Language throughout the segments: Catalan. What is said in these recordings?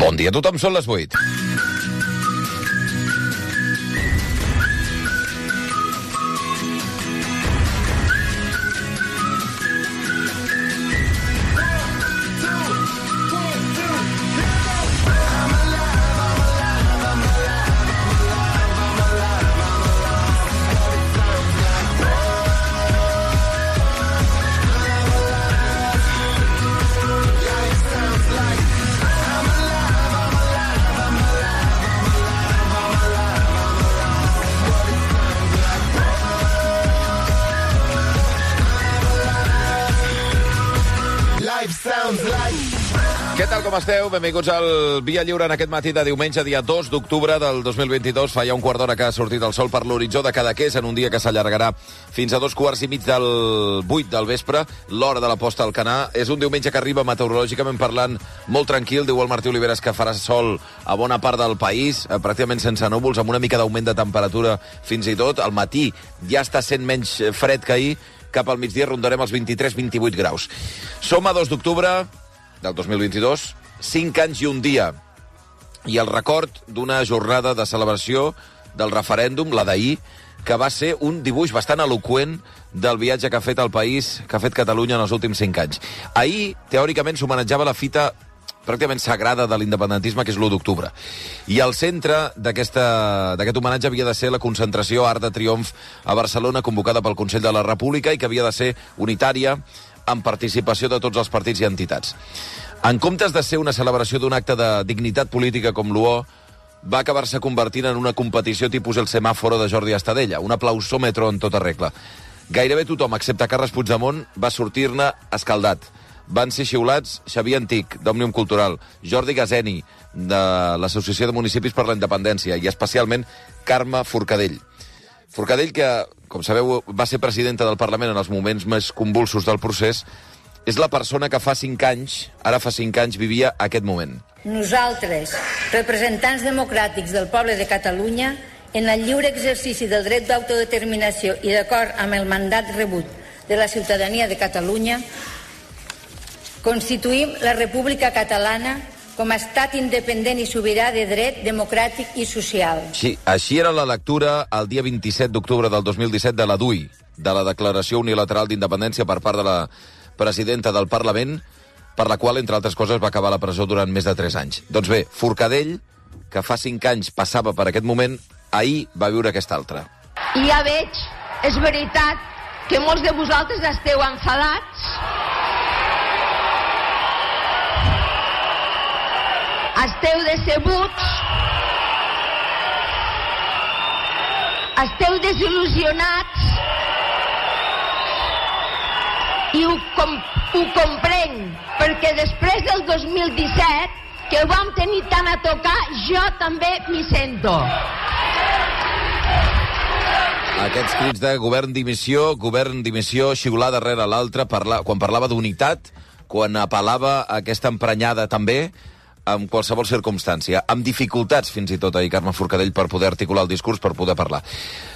Bon dia a tothom, són les 8. Què tal, com esteu? Benvinguts al Via Lliure en aquest matí de diumenge, dia 2 d'octubre del 2022. Fa ja un quart d'hora que ha sortit el sol per l'horitzó de Cadaqués en un dia que s'allargarà fins a 2:15 del 8 del vespre, l'hora de la posta al Canà. És un diumenge que arriba meteorològicament parlant molt tranquil. Diu el Martí Oliveres que farà sol a bona part del país, pràcticament sense núvols, amb una mica d'augment de temperatura fins i tot. Al matí ja està sent menys fred que ahir. Cap al migdia rondarem els 23-28 graus. Som a 2 d'octubre del 2022, 5 anys i un dia. I el record d'una jornada de celebració del referèndum, la d'ahir, que va ser un dibuix bastant eloqüent del viatge que ha fet el país, que ha fet Catalunya en els últims 5 anys. Ahir, teòricament, s'homenatjava la fita pràcticament sagrada de l'independentisme, que és l'1 d'octubre. I al centre d'aquest homenatge havia de ser la concentració Arc de Triomf a Barcelona, convocada pel Consell de la República i que havia de ser unitària, amb participació de tots els partits i entitats. En comptes de ser una celebració d'un acte de dignitat política com l'UO, va acabar-se convertint en una competició tipus el semàforo de Jordi Estadella, un aplausòmetre en tota regla. Gairebé tothom, excepte Carles Puigdemont, va sortir-ne escaldat. Van ser xiulats Xavier Antic, d'Òmnium Cultural, Jordi Gazeni, de l'Associació de Municipis per la Independència, i especialment Carme Forcadell. Forcadell, que, com sabeu, va ser presidenta del Parlament en els moments més convulsos del procés, és la persona que fa 5 anys, ara fa 5 anys, vivia aquest moment. Nosaltres, representants democràtics del poble de Catalunya, en el lliure exercici del dret d'autodeterminació i d'acord amb el mandat rebut de la ciutadania de Catalunya, constituïm la República Catalana com a estat independent i sobirà de dret democràtic i social. Sí, així era la lectura el dia 27 d'octubre del 2017 de la DUI, de la Declaració Unilateral d'Independència per part de la presidenta del Parlament, per la qual, entre altres coses, va acabar a la presó durant més de 3 anys. Doncs bé, Forcadell, que fa 5 anys passava per aquest moment, ahir va viure aquest altre. I ja veig, és veritat, que molts de vosaltres esteu enfadats, esteu decebuts, esteu desil·lusionats, i ho comprenc, perquè després del 2017, que ho vam tenir tant a tocar, jo també m'hi sento. Aquests crits de govern dimissió, xiular darrere l'altre, quan parlava d'unitat, quan apel·lava a aquesta emprenyada també, en qualsevol circumstància, amb dificultats fins i tot ahir Carme Forcadell per poder articular el discurs, per poder parlar.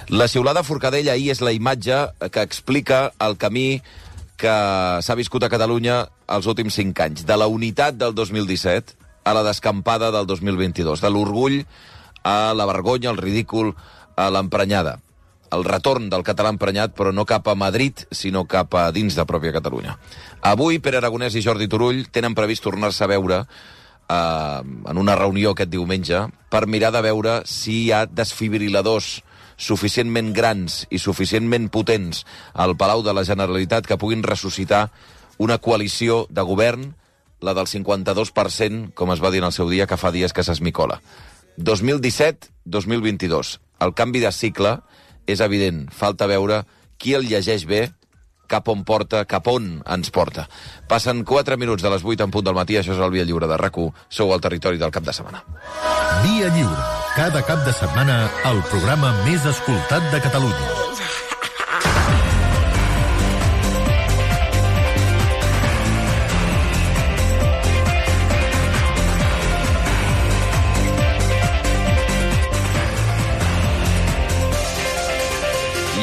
La xiulada Forcadell ahir és la imatge que explica el camí que s'ha viscut a Catalunya els últims 5 anys, de la unitat del 2017 a la descampada del 2022, de l'orgull a la vergonya, al ridícul, a l'emprenyada. El retorn del català emprenyat, però no cap a Madrid, sinó cap a dins de pròpia Catalunya. Avui, Pere Aragonès i Jordi Turull tenen previst tornar-se a veure en una reunió aquest diumenge per mirar de veure si hi ha desfibriladors suficientment grans i suficientment potents al Palau de la Generalitat que puguin ressuscitar una coalició de govern, la del 52%, com es va dir en el seu dia, que fa dies que s'esmicola. 2017-2022. El canvi de cicle és evident. Falta veure qui el llegeix bé, cap on porta, cap on ens porta. Passen 4 minuts de les 8 en punt del matí, això és el Via Lliure de RAC1. Sou al territori del cap de setmana. Via Lliure. Cada cap de setmana, el programa més escoltat de Catalunya.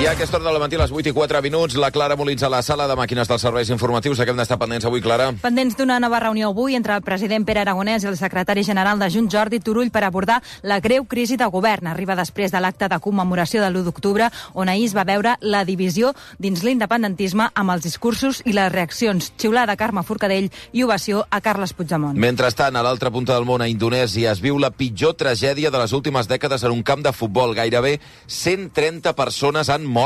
I a aquesta hora de la matí, a les 8:04, la Clara Molins a la sala de màquines dels serveis informatius. De què hem d'estar pendents avui, Clara? Pendents d'una nova reunió avui entre el president Pere Aragonès i el secretari general de Junts, Jordi Turull, per abordar la greu crisi de govern. Arriba després de l'acte de commemoració de l'1 d'octubre, on ahir es va veure la divisió dins l'independentisme amb els discursos i les reaccions. Xiulada a Carme Forcadell i ovació a Carles Puigdemont. Mentrestant, a l'altra punta del món, a Indonèsia, es viu la pitjor tragèdia de les últimes dècades en un camp de futbol. Gairebé 130 persones han mort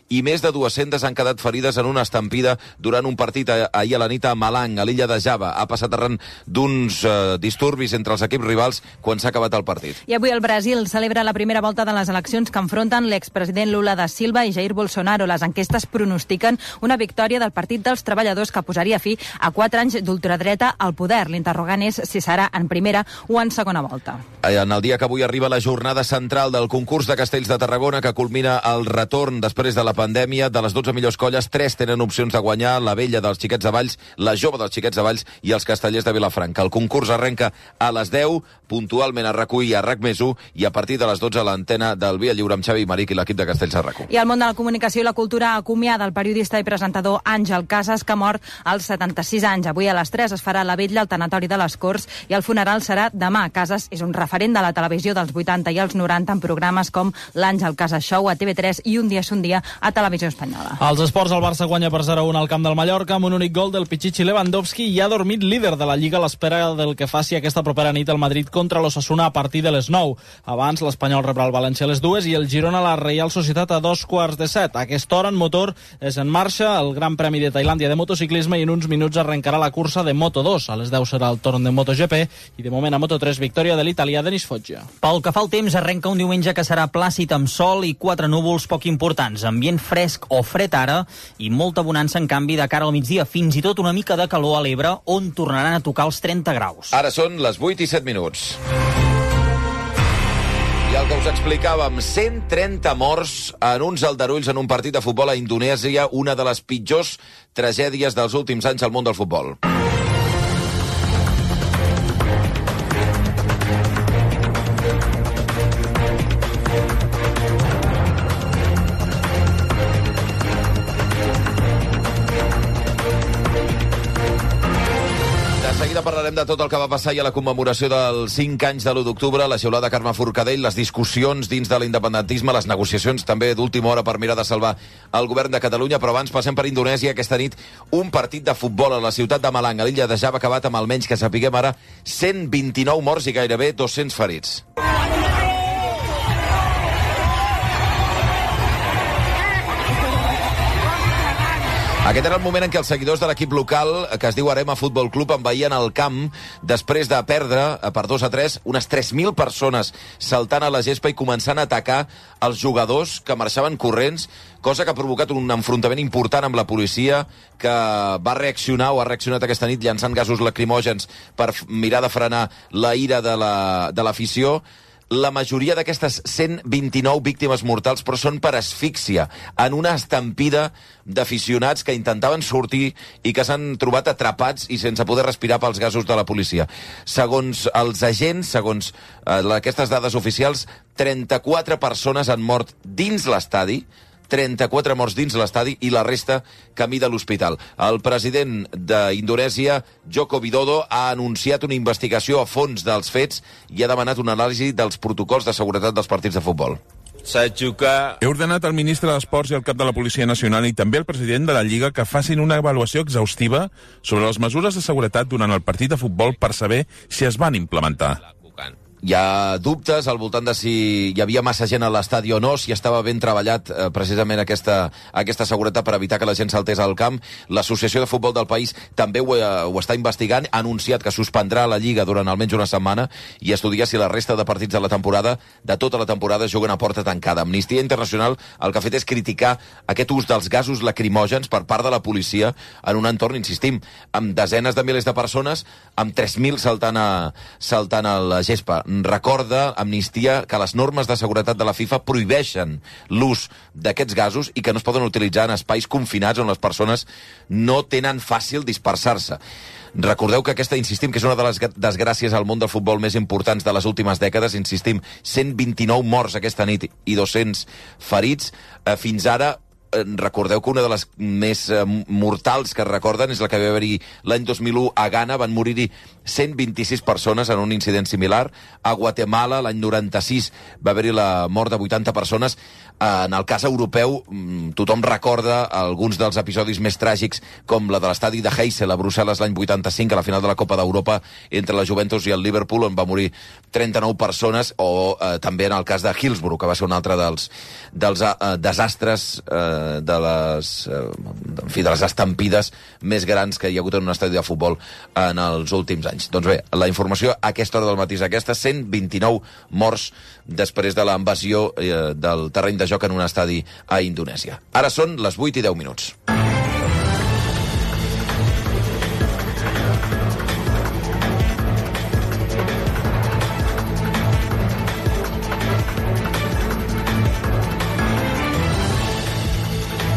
i més de 200 han quedat ferides en una estampida durant un partit ahir a la nit a Malang, a l'illa de Java. Ha passat arran d'uns disturbis entre els equips rivals quan s'ha acabat el partit. I avui el Brasil celebra la primera volta de les eleccions que enfronten l'expresident Lula da Silva i Jair Bolsonaro. Les enquestes pronostiquen una victòria del Partit dels Treballadors que posaria fi a 4 anys d'ultradreta al poder. L'interrogant és si serà en primera o en segona volta. En el dia que avui arriba la jornada central del concurs de Castells de Tarragona, que culmina el retorn després de la pandèmia. De les 12 millors colles, 3 tenen opcions de guanyar: la Vella dels Xiquets de Valls, la Jove dels Xiquets de Valls i els Castellers de Vilafranca. El concurs arrenca a les 10, puntualment a RAC1 i a RAC+1, i a partir de les 12 a l'antena del Via Lliure amb Xavi Maric i l'equip de Castells a RAC1. I el món de la comunicació i la cultura acomiada el periodista i presentador Àngel Casas, que ha mort als 76 anys. Avui a les 3 es farà la vetlla al tanatori de les Corts i el funeral serà demà. Casas és un referent de la televisió dels 80 i els 90 en programes com l'Àngel Casas Show a TV3 i Un dia és un dia a Televisió Espanyola. Als esports, el Barça guanya per 0-1 al camp del Mallorca amb un únic gol del Pichichi Lewandowski i ha dormit líder de la Lliga a l'espera del que faci aquesta propera nit al Madrid contra l'Osasuna a partir de les 9. Abans, l'Espanyol rebrà el València a les 2 i el Girona la Reial Societat a 6:15. A aquesta hora, en motor, és en marxa el Gran Premi de Tailàndia de motociclisme i en uns minuts arrencarà la cursa de Moto2. A les 10 serà el torn de MotoGP i de moment a Moto3 victòria de l'italià Denis Foggia. Pel que fa al temps, arrenca un diumenge que serà plàcid amb sol i 4 núvols poc importants. Ambient fresc o fred ara i molta bonança en canvi de cara al migdia. Fins i tot una mica de calor a l'Ebre, on tornaran a tocar els 30 graus. Ara són les 8:07. I el que us explicàvem, 130 morts en uns aldarulls en un partit de futbol a Indonèsia, una de les pitjors tragèdies dels últims anys al món del futbol. Parlarem de tot el que va passar i a la commemoració dels 5 anys de l'1 d'octubre, la xiulada de Carme Forcadell, les discussions dins de l'independentisme, les negociacions també d'última hora per mirar de salvar el govern de Catalunya, però abans passem per Indonèsia. Aquesta nit un partit de futbol a la ciutat de Malang, a l'illa de Java, acabat amb almenys, que sapiguem ara, 129 morts i gairebé 200 ferits. Aquest era el moment en què els seguidors de l'equip local, que es diu Arema Futbol Club, envaïen el camp després de perdre per 2-3 unes 3.000 persones saltant a la gespa i començant a atacar els jugadors que marxaven corrents, cosa que ha provocat un enfrontament important amb la policia, que va reaccionar o ha reaccionat aquesta nit llançant gasos lacrimògens per mirar de frenar la ira de l'afició. La majoria d'aquestes 129 víctimes mortals, però són per asfíxia, en una estampida d'aficionats que intentaven sortir i que s'han trobat atrapats i sense poder respirar pels gasos de la policia. Segons els agents, segons aquestes dades oficials, 34 persones han mort dins l'estadi, 34 morts dins l'estadi i la resta camí de l'hospital. El president d'Indonèsia, Joko Widodo, ha anunciat una investigació a fons dels fets i ha demanat una anàlisi dels protocols de seguretat dels partits de futbol. He ordenat al ministre d'Esports i al cap de la Policia Nacional i també al president de la Lliga que facin una avaluació exhaustiva sobre les mesures de seguretat durant el partit de futbol per saber si es van implementar. Hi ha dubtes al voltant de si hi havia massa gent a l'estadi o no, si estava ben treballat precisament aquesta seguretat per evitar que la gent saltés al camp. L'Associació de Futbol del país també ho està investigant, ha anunciat que suspendrà la Lliga durant almenys una setmana i estudiar si la resta de partits de la temporada, de tota la temporada, juguen a porta tancada. Amnistia Internacional el que ha fet és criticar aquest ús dels gasos lacrimògens per part de la policia en un entorn, insistim, amb desenes de milers de persones, amb 3.000 saltant a la gespa. recorda Amnistia que les normes de seguretat de la FIFA prohibeixen l'ús d'aquests gasos i que no es poden utilitzar en espais confinats on les persones no tenen fàcil dispersar-se. Recordeu que aquesta, insistim, que és una de les desgràcies al món del futbol més importants de les últimes dècades, insistim, 129 morts aquesta nit i 200 ferits. Fins ara, recordeu que una de les més mortals que recorden és la que va haver-hi l'any 2001 a Ghana, van morir-hi 126 persones en un incident similar. A Guatemala, l'any 96, va haver-hi la mort de 80 persones. En el cas europeu, tothom recorda alguns dels episodis més tràgics, com la de l'estadi de Heysel a Brussel·les l'any 85, a la final de la Copa d'Europa entre la Juventus i el Liverpool, on va morir 39 persones, o també en el cas de Hillsborough, que va ser un altre dels desastres de les estampides més grans que hi ha hagut en un estadi de futbol en els últims anys. Doncs bé, la informació a aquesta hora del matí és aquesta: 129 morts després de la invasió del terreny de joc en un estadi a Indonèsia. Ara són les 8 i 10 minuts.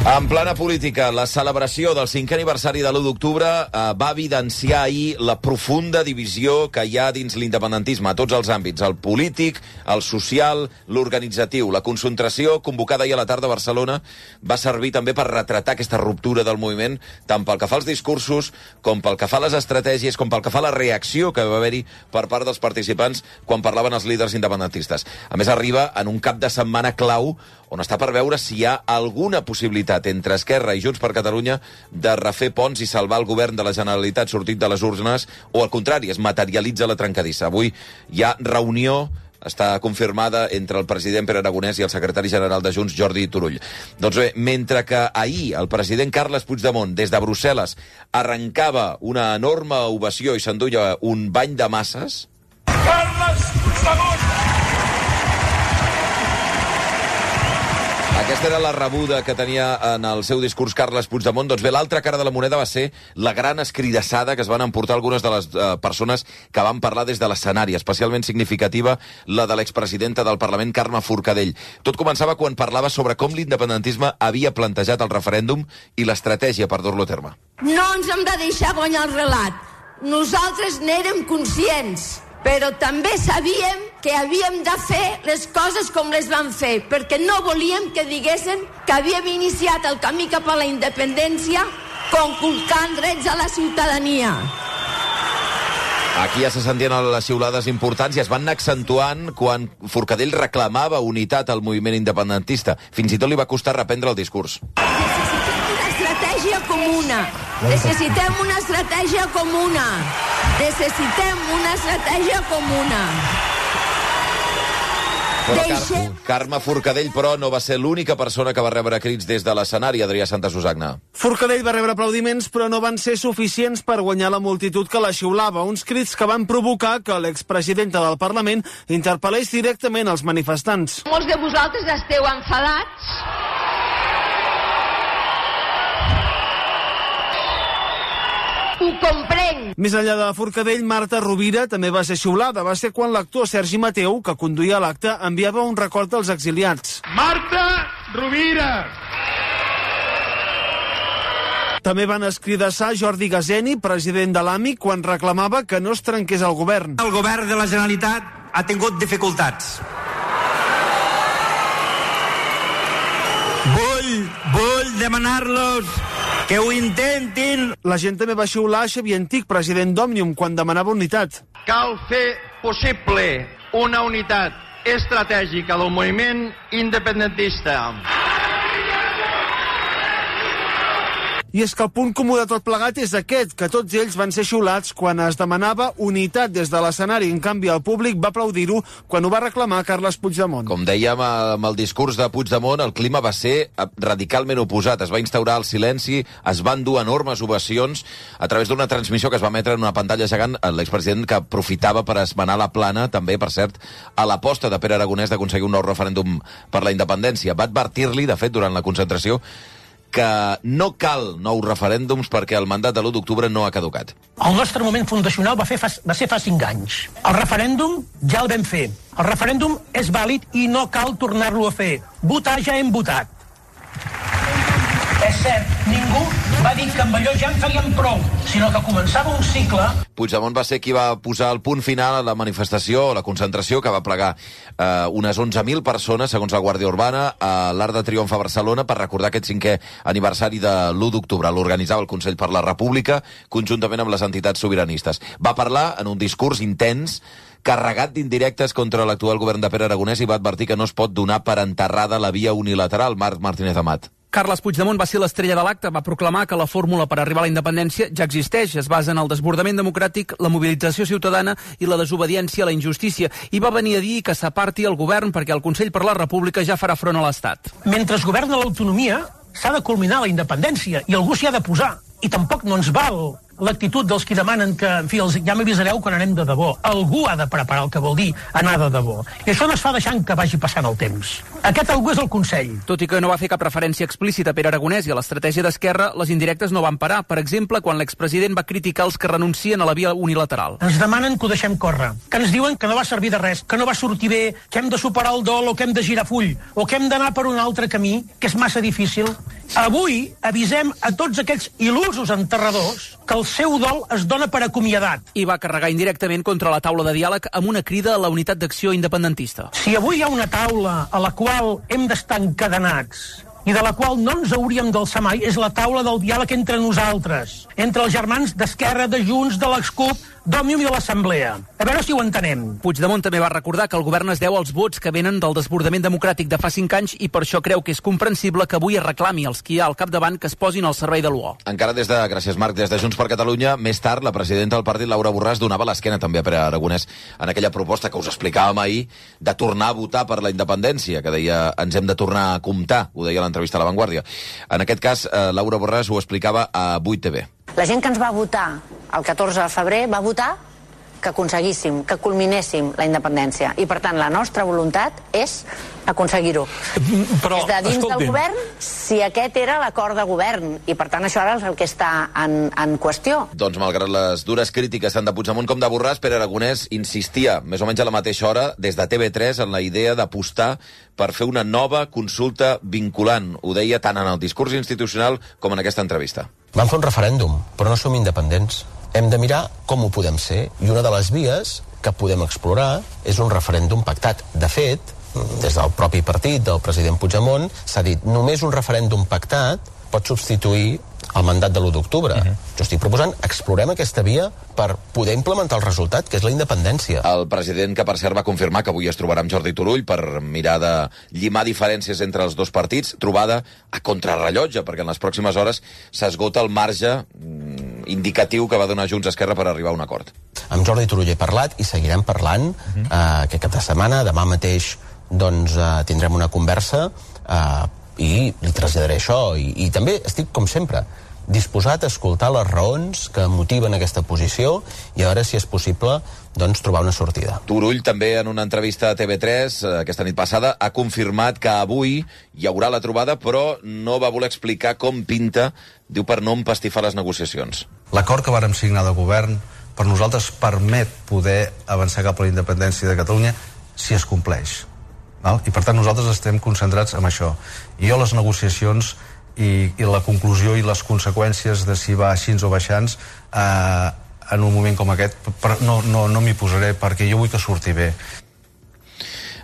En plana política, la celebració del 5è aniversari de l'1 d'octubre va evidenciar ahir la profunda divisió que hi ha dins l'independentisme a tots els àmbits, el polític, el social, l'organitzatiu. La concentració convocada ahir a la tarda a Barcelona va servir també per retratar aquesta ruptura del moviment, tant pel que fa als discursos, com pel que fa a les estratègies, com pel que fa a la reacció que va haver-hi per part dels participants quan parlaven els líders independentistes. A més, arriba en un cap de setmana clau on està per veure si hi ha alguna possibilitat entre Esquerra i Junts per Catalunya de refer ponts i salvar el govern de la Generalitat sortit de les urnes, o al contrari, es materialitza la trencadissa. Avui hi ha reunió, està confirmada, entre el president Pere Aragonès i el secretari general de Junts, Jordi Turull. Doncs bé, mentre que ahir el president Carles Puigdemont, des de Brussel·les, arrencava una enorme ovació i s'enduia un bany de masses... Carles Puigdemont! Aquesta era la rebuda que tenia en el seu discurs Carles Puigdemont. Doncs bé, l'altra cara de la moneda va ser la gran escridassada que es van emportar algunes de les persones que van parlar des de l'escenari, especialment significativa la de l'expresidenta del Parlament, Carme Forcadell. Tot començava quan parlava sobre com l'independentisme havia plantejat el referèndum i l'estratègia per dur-lo a terme. No ens hem de deixar guanyar el relat. Nosaltres n'érem conscients, però també sabíem que havíem de fer les coses com les vam fer, perquè no volíem que diguessin que havíem iniciat el camí cap a la independència conculcant drets a la ciutadania. Aquí ja se sentien les xiulades importants i es van anar accentuant quan Forcadell reclamava unitat al moviment independentista. Fins i tot li va costar reprendre el discurs. Necessitem una estratègia comuna. Necessitem una estratègia comuna. Però Carme Forcadell, però, no va ser l'única persona que va rebre crits des de l'escenari, Adrià Santasusagna. Forcadell va rebre aplaudiments, però no van ser suficients per guanyar la multitud que la xiulava. Uns crits que van provocar que l'expresidenta del Parlament interpel·lés directament als manifestants. Molts de vosaltres esteu enfadats. Ho comprenc. Més enllà de Forcadell, Marta Rovira també va ser xiulada. Va ser quan l'actor Sergi Mateu, que conduïa l'acte, enviava un record als exiliats. Marta Rovira! També van escridassar Jordi Gazeni, president de l'AMI, quan reclamava que no es trenqués el govern. El govern de la Generalitat ha tingut dificultats. Vull demanar-los que ho intentin. La gent també va xiular Xavier Antic, president d'Òmnium, quan demanava unitat. Cal fer possible una unitat estratègica del moviment independentista. I és que el punt comú de tot plegat és aquest, que tots ells van ser xiulats quan es demanava unitat des de l'escenari. En canvi, el públic va aplaudir-ho quan ho va reclamar Carles Puigdemont. Com dèiem, amb el discurs de Puigdemont, el clima va ser radicalment oposat. Es va instaurar el silenci, es van dur enormes ovacions a través d'una transmissió que es va emetre en una pantalla gegant, l'expresident que aprofitava per esmenar la plana, també, per cert, a l'aposta de Pere Aragonès d'aconseguir un nou referèndum per la independència. Va advertir-li, de fet, durant la concentració, que no cal nous referèndums perquè el mandat de l'1 d'octubre no ha caducat. El nostre moment fundacional va ser fa 5 anys. El referèndum ja el vam fer. El referèndum és vàlid i no cal tornar-lo a fer. Votar ja hem votat. És cert, ningú va dir que amb allò ja en faríem prou, sinó que començava un cicle. Puigdemont va ser qui va posar el punt final a la manifestació, la concentració, que va plegar unes 11.000 persones, segons la Guàrdia Urbana, a l'Arc de Triomf a Barcelona per recordar aquest 5è aniversari de l'1 d'octubre. L'organitzava el Consell per la República, conjuntament amb les entitats sobiranistes. Va parlar en un discurs intens, carregat d'indirectes contra l'actual govern de Pere Aragonès, i va advertir que no es pot donar per enterrada la via unilateral. Marc Martínez Amat. Carles Puigdemont va ser l'estrella de l'acte, va proclamar que la fórmula per arribar a la independència ja existeix, es basa en el desbordament democràtic, la mobilització ciutadana i la desobediència a la injustícia, i va venir a dir que s'aparti el govern perquè el Consell per la República ja farà front a l'Estat. Mentre es governa l'autonomia, s'ha de culminar la independència, i algú s'hi ha de posar. I tampoc no ens val l'actitud dels qui demanen que, en fi, ja m'avisareu quan anem de debò. Algú ha de preparar el que vol dir anar de debò. I això no es fa deixant que vagi passant el temps. Aquest algú és el Consell. Tot i que no va fer cap referència explícita a Pere Aragonès i a l'estratègia d'Esquerra, les indirectes no van parar. Per exemple, quan l'expresident va criticar els que renuncien a la via unilateral. Ens demanen que ho deixem córrer, que ens diuen que no va servir de res, que no va sortir bé, que hem de superar el dol o que hem de girar full, o que hem d'anar per un altre camí, que és massa difícil. Avui avisem a tots aquells il·lusos enterradors que el seu dol es dona per acomiadat. I va carregar indirectament contra la taula de diàleg amb una crida a la unitat d'acció independentista. Si avui hi ha una taula a la qual hem d'estar encadenats i de la qual no ens hauríem d'alçar mai, és la taula del diàleg entre nosaltres, entre els germans d'Esquerra, de Junts, de l'Excup, d'Òmnium i de l'Assemblea. A veure si ho entenem. Puigdemont també va recordar que el govern es deu als vots que venen del desbordament democràtic de fa 5 anys i per això creu que és comprensible que avui es reclami als qui hi ha al capdavant que es posin al servei de l'UO. Encara gràcies Marc, des de Junts per Catalunya, més tard la presidenta del partit, Laura Borràs, donava l'esquena també a Pere Aragonès en aquella proposta que us explicàvem ahir de tornar a votar per la independència, que deia ens hem de tornar a comptar, ho deia a l'entrevista a La Vanguardia. En aquest cas, Laura Borràs ho explicava a 8TV. La gent que ens va votar el 14 de febrer va votar que aconseguíssim, que culminéssim la independència. I, per tant, la nostra voluntat és aconseguir-ho. Però, des de dins escolti'm, del govern, si aquest era l'acord de govern. I, per tant, això ara és el que està en qüestió. Doncs, malgrat les dures crítiques tant de Puigdemont com de Borràs, Pere Aragonès insistia, més o menys a la mateixa hora, des de TV3, en la idea d'apostar per fer una nova consulta vinculant. Ho deia tant en el discurs institucional com en aquesta entrevista. Vam fer un referèndum, però no som independents. Hem de mirar com ho podem ser, i una de les vies que podem explorar és un referèndum pactat. De fet, des del propi partit del president Puigdemont s'ha dit només un referèndum pactat pot substituir el mandat de l'1 d'octubre. Jo estic proposant, explorem aquesta via per poder implementar el resultat, que és la independència. El president, que per cert va confirmar que avui es trobarà amb Jordi Turull per mirar de llimar diferències entre els dos partits, trobada a contrarrellotge, perquè en les pròximes hores s'esgota el marge indicatiu que va donar Junts Esquerra per arribar a un acord. Amb Jordi Turull he parlat i seguirem parlant aquest cap de setmana. Demà mateix doncs, tindrem una conversa i li traslladaré això. I també estic, com sempre, disposat a escoltar les raons que motiven aquesta posició i a veure si és possible doncs, trobar una sortida. Turull també en una entrevista a TV3 aquesta nit passada ha confirmat que avui hi haurà la trobada, però no va voler explicar com pinta, diu, per no empastifar les negociacions. L'acord que vàrem signar de govern per nosaltres permet poder avançar cap a la independència de Catalunya si es compleix. I per tant nosaltres estem concentrats en això. I jo les negociacions i la conclusió i les conseqüències de si va així o baixants en un moment com aquest no m'hi posaré, perquè jo vull que surti bé.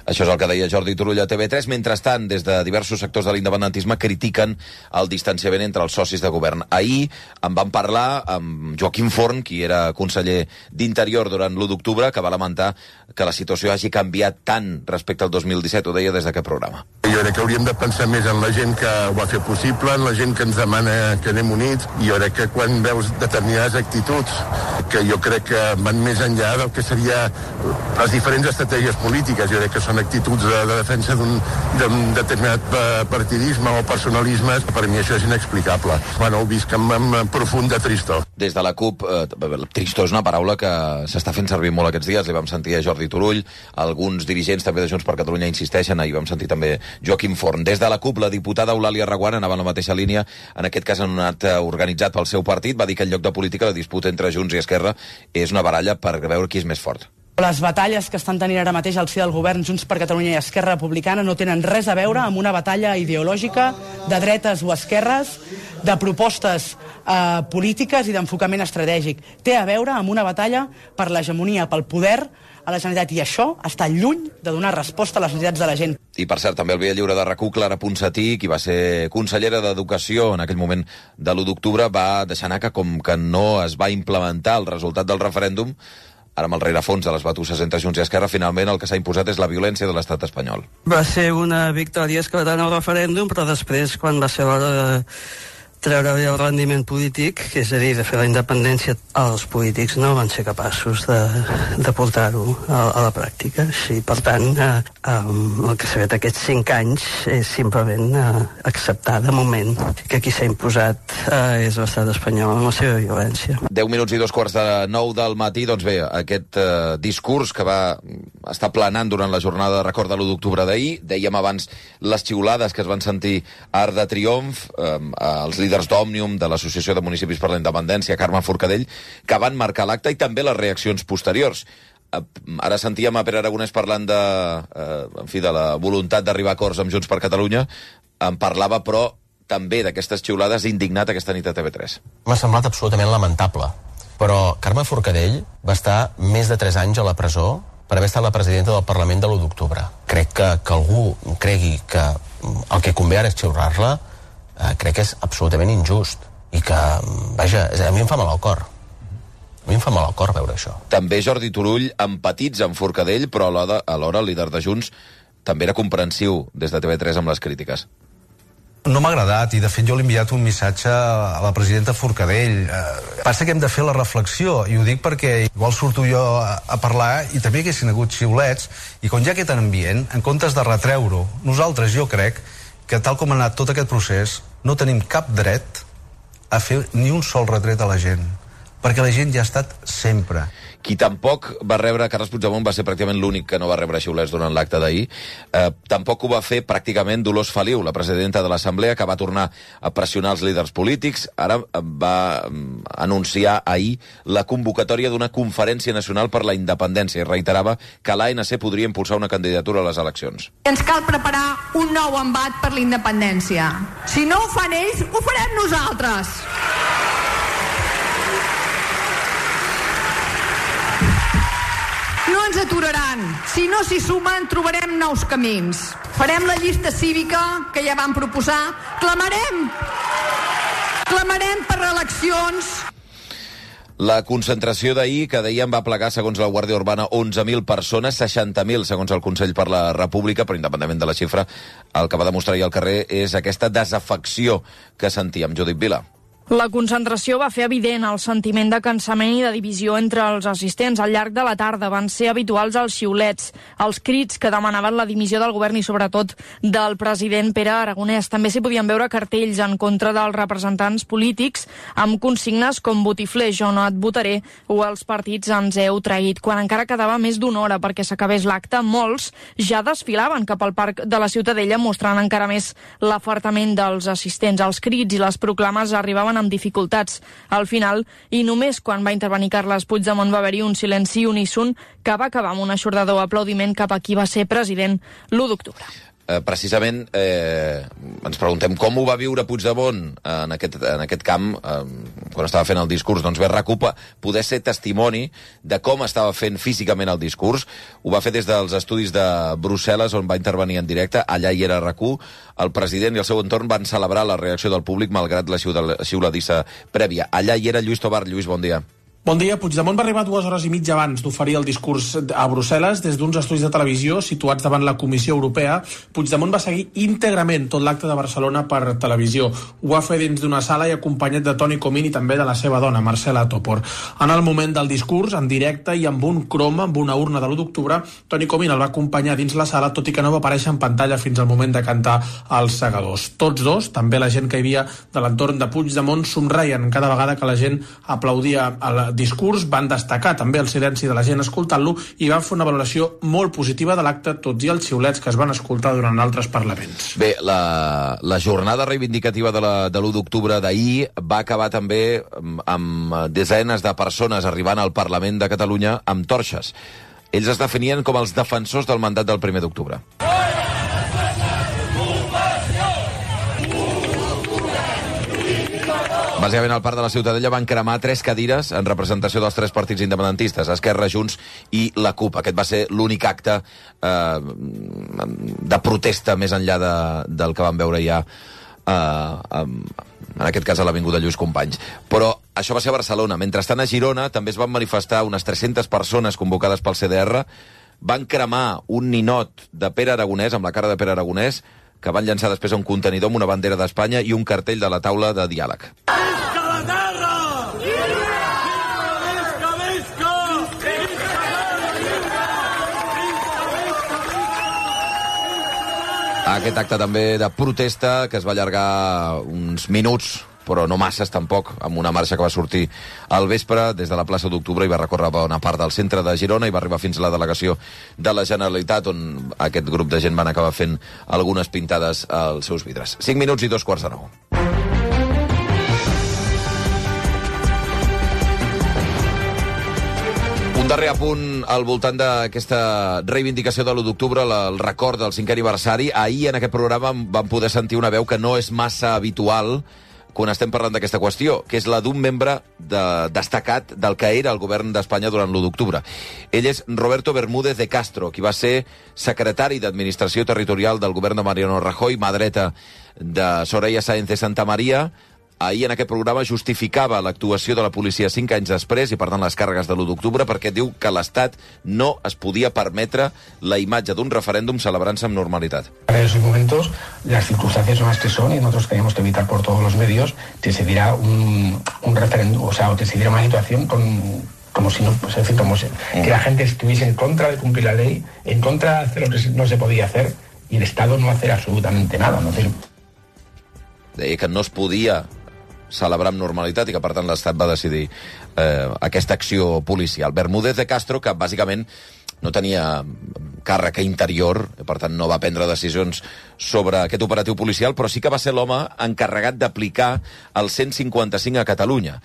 Això és el que deia Jordi Turull a TV3. Mentrestant, des de diversos sectors de l'independentisme critiquen el distanciament entre els socis de govern. Ahir en van parlar amb Joaquim Forn, qui era conseller d'Interior durant l'1 d'octubre, que va lamentar que la situació hagi canviat tant respecte al 2017. Ho deia des d'aquest programa. Jo crec que hauríem de pensar més en la gent que ho ha fet possible, en la gent que ens demana que anem units, i jo crec que quan veus determinades actituds que jo crec que van més enllà del que seria les diferents estratègies polítiques, jo crec que són actituds de defensa d'un determinat partidisme o personalismes, per mi això és inexplicable. Bueno, ho visc amb profunda tristor. Des de la CUP, tristor és una paraula que s'està fent servir molt aquests dies. Li vam sentir a Jordi Turull, alguns dirigents també de Junts per Catalunya insisteixen, i vam sentir també Joaquim Forn. Des de la CUP, la diputada Eulàlia Reguant anava en la mateixa línia, en aquest cas en un acte organitzat pel seu partit, va dir que en lloc de política la disputa entre Junts i Esquerra és una baralla per veure qui és més fort. Les batalles que estan tenint ara mateix al si del govern Junts per Catalunya i Esquerra Republicana no tenen res a veure amb una batalla ideològica de dretes o esquerres, de propostes polítiques i d'enfocament estratègic. Té a veure amb una batalla per l'hegemonia, pel poder a la Generalitat, i això està lluny de donar resposta a les necessitats de la gent. I, per cert, també el Via Lliure de RAC1, Clara Ponsatí, qui va ser consellera d'Educació en aquell moment de l'1 d'octubre, va deixar anar que com que no es va implementar el resultat del referèndum, ara amb el rerefons de les batusses entre Junts i Esquerra, finalment el que s'ha imposat és la violència de l'estat espanyol. Va ser una victòria esclatant al referèndum, però després, quan va ser l'hora de treure el rendiment polític, que és a dir, de fer la independència, els polítics no van ser capaços de portar-ho a la pràctica. Sí, per tant, el que s'ha fet aquests 5 anys és simplement acceptar de moment que qui s'ha imposat és l'estat espanyol amb la seva violència. 10 minuts i 8:45 del matí, doncs bé, aquest discurs que va estar planant durant la jornada de record de l'1 d'octubre d'ahir, dèiem abans les xiulades que es van sentir a Arc de Triomf, els líders d'Òmnium, de l'Associació de Municipis per la Independència, Carme Forcadell, que van marcar l'acte, i també les reaccions posteriors. Ara sentíem a Pere Aragonès parlant de la voluntat d'arribar a acords amb Junts per Catalunya. En parlava, però, també d'aquestes xiulades, indignat aquesta nit a TV3. M'ha semblat absolutament lamentable, però Carme Forcadell va estar més de 3 anys a la presó per haver estat la presidenta del Parlament de l'1 d'octubre. Crec que algú cregui que el que convé ara és xiular-la, crec que és absolutament injust i que, vaja, a mi em fa mal al cor. A mi em fa mal al cor veure això. També Jordi Turull empatitza amb Forcadell, però alhora el líder de Junts també era comprensiu des de TV3 amb les crítiques. No m'ha agradat, i de fet jo l'he enviat un missatge a la presidenta Forcadell. Passa que hem de fer la reflexió, i ho dic perquè igual surto jo a parlar i també haguessin hagut xiulets, i quan hi ha aquest ambient, en comptes de retreure-ho, nosaltres, jo crec que tal com ha anat tot aquest procés, no tenim cap dret a fer ni un sol retret a la gent, perquè la gent ja ha estat sempre. Qui tampoc va rebre, Carles Puigdemont va ser pràcticament l'únic que no va rebre xiulets durant l'acte d'ahir, tampoc ho va fer pràcticament Dolors Feliu, la presidenta de l'Assemblea, que va tornar a pressionar els líders polítics. Ara va anunciar ahir la convocatòria d'una conferència nacional per la independència i reiterava que l'ANC podria impulsar una candidatura a les eleccions. Ens cal preparar un nou embat per la independència. Si no ho fan ells, ho farem nosaltres. No ens aturaran. Si no s'hi sumen, trobarem nous camins. Farem la llista cívica que ja vam proposar. Clamarem per eleccions. La concentració d'ahir, que dèiem, va plegar, segons la Guàrdia Urbana, 11.000 persones, 60.000, segons el Consell per la República, però independentment de la xifra, el que va demostrar ahir al carrer és aquesta desafecció que sentíem. Judit Vila. La concentració va fer evident el sentiment de cansament i de divisió entre els assistents. Al llarg de la tarda van ser habituals els xiulets, els crits que demanaven la dimissió del govern i sobretot del president Pere Aragonès. També s'hi podien veure cartells en contra dels representants polítics amb consignes com botifler, jo no et votaré, o els partits ens heu traït. Quan encara quedava més d'una hora perquè s'acabés l'acte, molts ja desfilaven cap al Parc de la Ciutadella mostrant encara més l'afartament dels assistents. Els crits i les proclames arribaven amb dificultats. Al final, i només quan va intervenir Carles Puigdemont, va haver-hi un silenci uníson que va acabar amb un eixordador aplaudiment cap a qui va ser president l'1 d'octubre. Precisament ens preguntem com ho va viure Puigdemont en aquest camp quan estava fent el discurs. Doncs bé, RAC1 poder ser testimoni de com estava fent físicament el discurs. Ho va fer des dels estudis de Brussel·les, on va intervenir en directe. Allà hi era RAC1. El president i el seu entorn van celebrar la reacció del públic malgrat la xiuladissa prèvia. Allà hi era Lluís Tobar. Lluís, bon dia. Bon dia. Puigdemont va arribar 2 hores i mitja abans d'oferir el discurs a Brussel·les des d'uns estudis de televisió situats davant la Comissió Europea. Puigdemont va seguir íntegrament tot l'acte de Barcelona per televisió. Ho va fer dins d'una sala i acompanyat de Toni Comín i també de la seva dona, Marcela Topor. En el moment del discurs, en directe i amb un croma, amb una urna de l'1 d'octubre, Toni Comín el va acompanyar dins la sala, tot i que no va aparèixer en pantalla fins al moment de cantar els segadors. Tots dos, també la gent que hi havia de l'entorn de Puigdemont, somreien cada vegada que la gent aplaudia el discurs, van destacar també el silenci de la gent escoltant-lo i van fer una valoració molt positiva de l'acte, tots i els xiulets que es van escoltar durant altres parlaments. Bé, la jornada reivindicativa de l'1 d'octubre d'ahir va acabar també amb desenes de persones arribant al Parlament de Catalunya amb torxes. Ells es definien com els defensors del mandat del 1 d'octubre. Bàsicament, al Parc de la Ciutadella van cremar 3 cadires en representació dels 3 partits independentistes, Esquerra, Junts i la CUP. Aquest va ser l'únic acte de protesta més enllà del que vam veure ja, en aquest cas a l'Avinguda Lluís Companys. Però això va ser a Barcelona. Mentrestant, a Girona també es van manifestar unes 300 persones convocades pel CDR. Van cremar un ninot de Pere Aragonès, amb la cara de Pere Aragonès, que van llançar després a un contenidor amb una bandera d'Espanya i un cartell de la taula de diàleg. Visca la terra! Visca, visca! Aquest acte també de protesta que es va allargar uns minuts, però no masses tampoc, amb una marxa que va sortir al vespre des de la plaça d'Octubre i va recórrer bona part del centre de Girona i va arribar fins a la delegació de la Generalitat, on aquest grup de gent van acabar fent algunes pintades als seus vidres. 5 minuts i 2:45. Un darrer apunt al voltant d'aquesta reivindicació de l'1 d'octubre, el record del 5è aniversari. Ahir en aquest programa vam poder sentir una veu que no és massa habitual quan estem parlant d'aquesta qüestió, que és la d'un membre destacat del que era el govern d'Espanya durant l'1 d'octubre. Ell és Roberto Bermúdez de Castro, qui va ser secretari d'Administració Territorial del govern de Mariano Rajoy, mà dreta de Soraya Sáenz de Santamaría. Ahir en aquest programa justificava l'actuació de la policia 5 anys després i, per tant, les càrregues de l'1 d'octubre, perquè diu que l'Estat no es podia permetre la imatge d'un referèndum celebrant-se amb normalitat. En esos momentos las circunstancias son las que son y nosotros tenemos que evitar por todos los medios que se diera un referéndum, o sea, o que se diera una situación como si no, pues, en fin, que la gente estuviese en contra de cumplir la ley, en contra de hacer lo que no se podía hacer y el Estado no hacer absolutamente nada. No sé. Deia que no es podia celebrar amb normalitat i que, per tant, l'Estat va decidir aquesta acció policial. Bermúdez de Castro, que bàsicament no tenia càrrec interior, per tant no va prendre decisions sobre aquest operatiu policial, però sí que va ser l'home encarregat d'aplicar el 155 a Catalunya.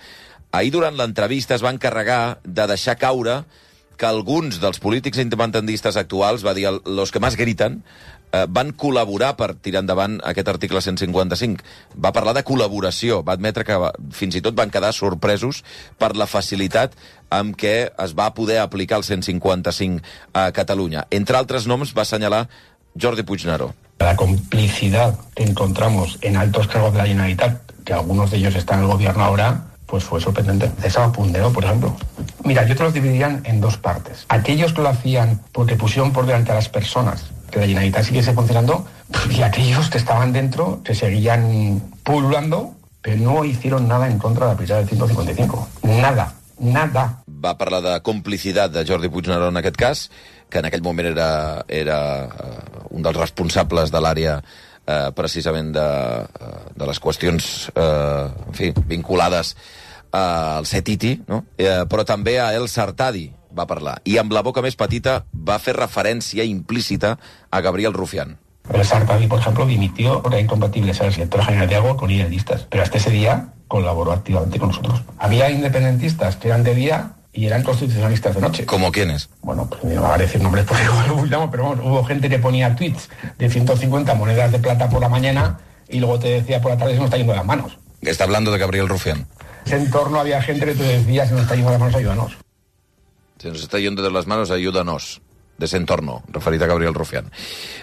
Ahir, durant l'entrevista, es va encarregar de deixar caure que alguns dels polítics independentistes actuals, va dir, los que más gritan, van col·laborar per tirar endavant aquest article 155. Va parlar de col·laboració, va admetre que fins i tot van quedar sorpresos per la facilitat amb què es va poder aplicar el 155 a Catalunya. Entre altres noms va assenyalar Jordi Puigneró. La complicidad que encontramos en altos cargos de la Generalitat, que algunos de ellos están en el gobierno ahora, pues fue sorprendente. César Pundero, por ejemplo. Mira, yo te los dividiría en 2 partes. Aquellos que lo hacían porque pusieron por delante a las personas, que la Generalitat siguiese funcionando, y aquellos que estaban dentro, que seguían pululando, pero no hicieron nada en contra de aplicar el 155. Nada. Va parlar de complicitat de Jordi Puigneró en aquest cas, que en aquell moment era un dels responsables de l'àrea precisament de les qüestions en fi, vinculades al CETITI, no? Però també a El Sartadi va parlar. I amb la boca més petita va fer referència implícita a Gabriel Rufián. El Sartadi, por ejemplo, dimitió por incompatible ser director general de agua con idealistas, pero hasta ese día colaboró activamente con nosotros. Había independentistas que eran de día y eran constitucionalistas de noche. ¿Cómo quiénes? Bueno, pues no va a decir nombres porque igual lo bullamos, pero bueno, hubo gente que ponía tweets de 150 monedas de plata por la mañana y luego te decía por la tarde se nos está yendo de las manos. Está hablando de Gabriel Rufián. En ese entorno había gente que te decía se nos está yendo de las manos, ayúdanos. Se nos está yendo de las manos, ayúdanos. Desentorno, referit a Gabriel Rufián.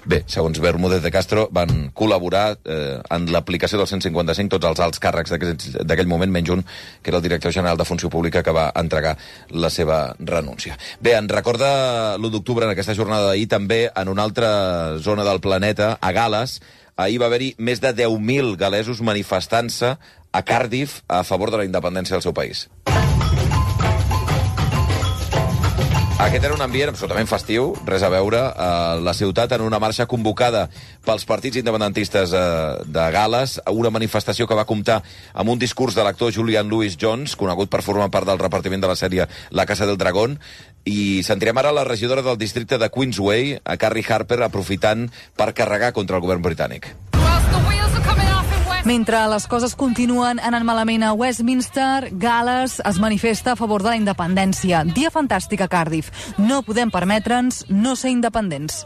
Bé, segons Bermúdez de Castro, van col·laborar en l'aplicació del 155 tots els alts càrrecs d'aquell moment, menys un, que era el director general de Funció Pública, que va entregar la seva renúncia. Bé, en recorda l'1 d'octubre, en aquesta jornada d'ahir, també en una altra zona del planeta, a Gal·les. Ahir va haver-hi més de 10.000 galesos manifestant-se a Cardiff a favor de la independència del seu país. Aquest era un ambient absolutament festiu, res a veure, a la ciutat, en una marxa convocada pels partits independentistes de Gal·les, una manifestació que va comptar amb un discurs de l'actor Julian Lewis-Jones, conegut per formar part del repartiment de la sèrie La Casa del Dragón, i sentirem ara la regidora del districte de Queensway, a Carrie Harper, aprofitant per carregar contra el govern britànic. Mentre les coses continuen anant malament a Westminster, Gal·les es manifesta a favor de la independència. Dia fantàstic a Cardiff. No podem permetre'ns no ser independents.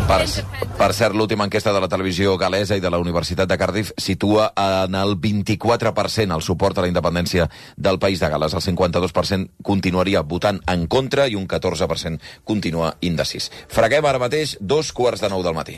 Per cert, l'última enquesta de la televisió gal·lesa i de la Universitat de Cardiff situa en el 24% el suport a la independència del país de Gal·les. El 52% continuaria votant en contra i un 14% continua indecís. Freguem ara mateix 2:45 del matí.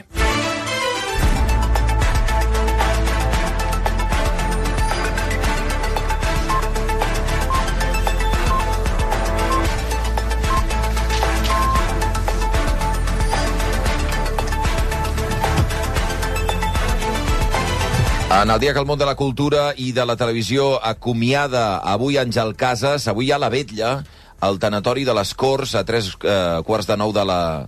En el dia que el món de la cultura i de la televisió acomiada avui Àngel Casas, avui hi ha la vetlla al tanatori de les Corts a 3:45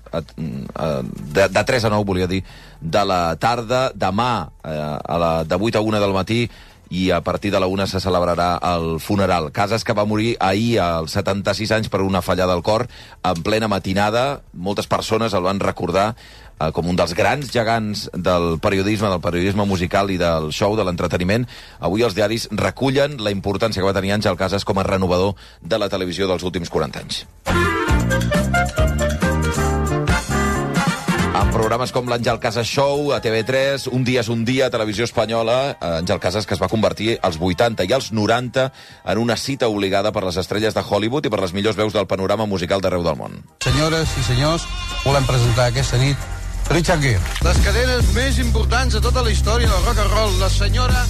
de 3 a 9, volia dir, de la tarda. Demà, de 8 a 1 del matí, i a partir de la 1 se celebrarà el funeral. Casas, que va morir ahir als 76 anys per una fallada al cor, en plena matinada. Moltes persones el van recordar com un dels grans gegants del periodisme musical i del show, de l'entreteniment. Avui els diaris recullen la importància que va tenir Àngel Casas com a renovador de la televisió dels últims 40 anys. En programes com l'Àngel Casas Show, a TV3, Un dia és un dia, a Televisió Espanyola, Àngel Casas, que es va convertir als 80 i als 90 en una cita obligada per les estrelles de Hollywood i per les millors veus del panorama musical d'arreu del món. Senyores i senyors, volem presentar aquesta nit Richard Gere. Les cadenes més importants de tota la història del rock and roll, la senyora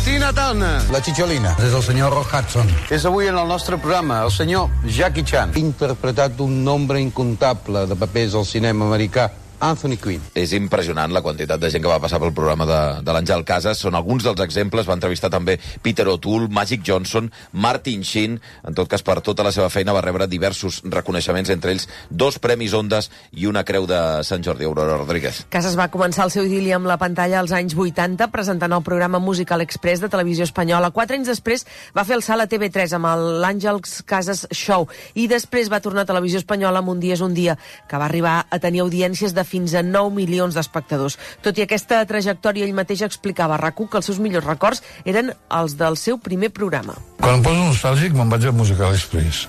Tina Turner. La Chicholina. És el senyor Rock Hudson. És avui en el nostre programa el senyor Jackie Chan. Interpretat un nombre incontable de papers al cinema americà, Anthony Quinn. És impressionant la quantitat de gent que va passar pel programa de l'Àngel Casas. Són alguns dels exemples. Va entrevistar també Peter O'Toole, Magic Johnson, Martin Sheen. En tot cas, per tota la seva feina va rebre diversos reconeixements, entre ells 2 premis Ondas i una creu de Sant Jordi. Aurora Rodríguez. Casas va començar el seu idili amb la pantalla als anys 80, presentant el programa Musical Express de Televisió Espanyola. 4 anys després va fer el salt a TV3 amb l'Àngel Casas Show, i després va tornar a Televisió Espanyola amb Un dia és un dia, que va arribar a tenir audiències de fins a 9 milions d'espectadors. Tot i aquesta trajectòria, ell mateix explicava a RAC1 que els seus millors records eren els del seu primer programa. Quan em poso nostàlgic me'n vaig al Musical Express.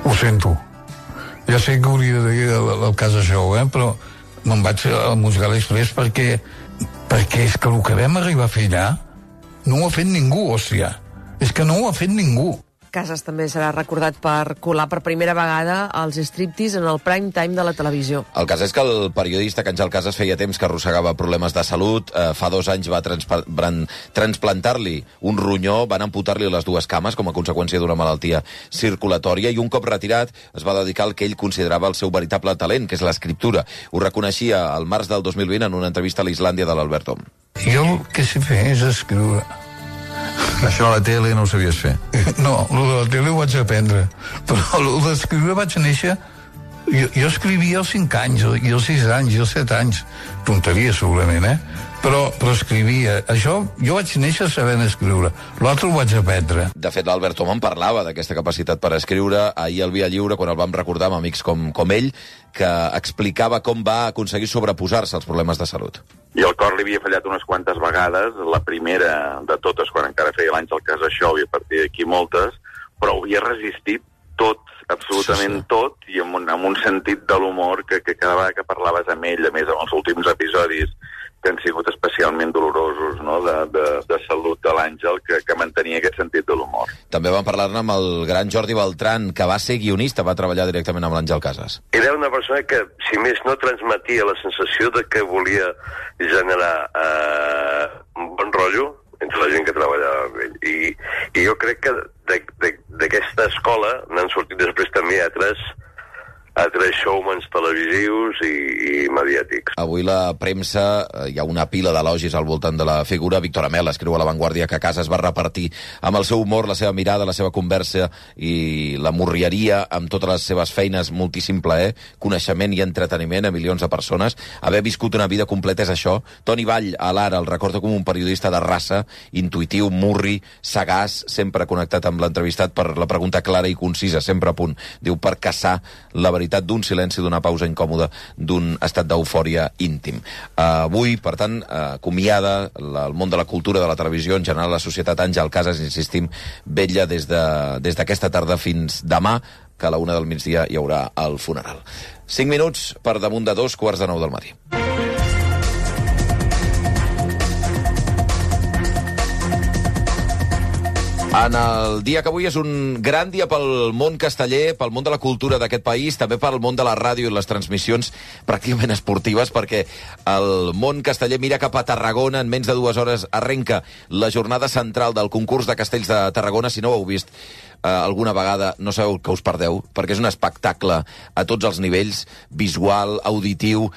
Ho sento. Ja sé que hauria de dir el Casa Show, però me'n vaig al Musical Express perquè és que el que vam arribar a fer allà no ho ha fet ningú, hòstia. És que no ho ha fet ningú. Casas també serà recordat per colar per primera vegada als striptease en el prime time de la televisió. El cas és que el periodista Àngel Casas feia temps que arrossegava problemes de salut. Fa 2 anys va transplantar-li un ronyó, van amputar-li les 2 cames com a conseqüència d'una malaltia circulatòria, i un cop retirat es va dedicar al que ell considerava el seu veritable talent, que és l'escriptura. Ho reconeixia al març del 2020 en una entrevista a l'Islàndia de l'Albert Om. Jo el que sé fer és escriure. Això a la tele no ho sabies fer? No, el de la tele ho vaig aprendre, però el d'escriure vaig néixer. Jo escrivia als 5 anys, i als 6 anys, i als 7 anys. Tonteria, segurament, Però escrivia. Això, jo vaig néixer sabent escriure. L'altre ho vaig aprendre. De fet, l'Albert Om en parlava d'aquesta capacitat per escriure ahir al Via Lliure, quan el vam recordar amb amics com ell, que explicava com va aconseguir sobreposar-se als problemes de salut. I el cor li havia fallat unes quantes vegades, la primera de totes, quan encara feia l'Àngel Casas Show, i a partir d'aquí moltes, però ho havia resistit tot, absolutament tot, i amb un sentit de l'humor que cada vegada que parlaves amb ell, a més amb els últims episodis que han sigut especialment dolorosos, no?, de salut de l'Àngel, que mantenia aquest sentit de l'humor. També vam parlar-ne amb el gran Jordi Beltran, que va ser guionista, va treballar directament amb l'Àngel Casas. Era una persona que, si més no, transmetia la sensació de que volia generar un bon rotllo entre la gent que treballava amb ell. I jo crec que d'aquesta escola n'han sortit després també altres showmans televisius i mediàtics. Avui la premsa, hi ha una pila d'elogis al voltant de la figura. Víctor Amel escriu a La Vanguardia que Casas va repartir amb el seu humor, la seva mirada, la seva conversa i la morrieria amb totes les seves feines, moltíssim plaer, coneixement i entreteniment a milions de persones. Haver viscut una vida completa és això. Toni Vall, a l'Ara, el recorda com un periodista de raça, intuïtiu, murri, sagaç, sempre connectat amb l'entrevistat per la pregunta clara i concisa, sempre a punt. Diu, per caçar la veritat d'un silenci, d'una pausa incòmoda, d'un estat d'eufòria íntim. Avui, per tant, acomiada el món de la cultura, de la televisió, en general la societat. Àngel Casas, insistim, vetlla des d'aquesta tarda fins demà, que a la 1 del migdia hi haurà el funeral. 5 minuts per damunt de 2:45 del matí. En el dia que avui és un gran dia pel món casteller, pel món de la cultura d'aquest país, també pel món de la ràdio i les transmissions pràcticament esportives, perquè el món casteller mira cap a Tarragona. En menys de 2 hores arrenca la jornada central del concurs de castells de Tarragona. Si no ho heu vist alguna vegada, no sabeu que us perdeu, perquè és un espectacle a tots els nivells, visual, auditiu.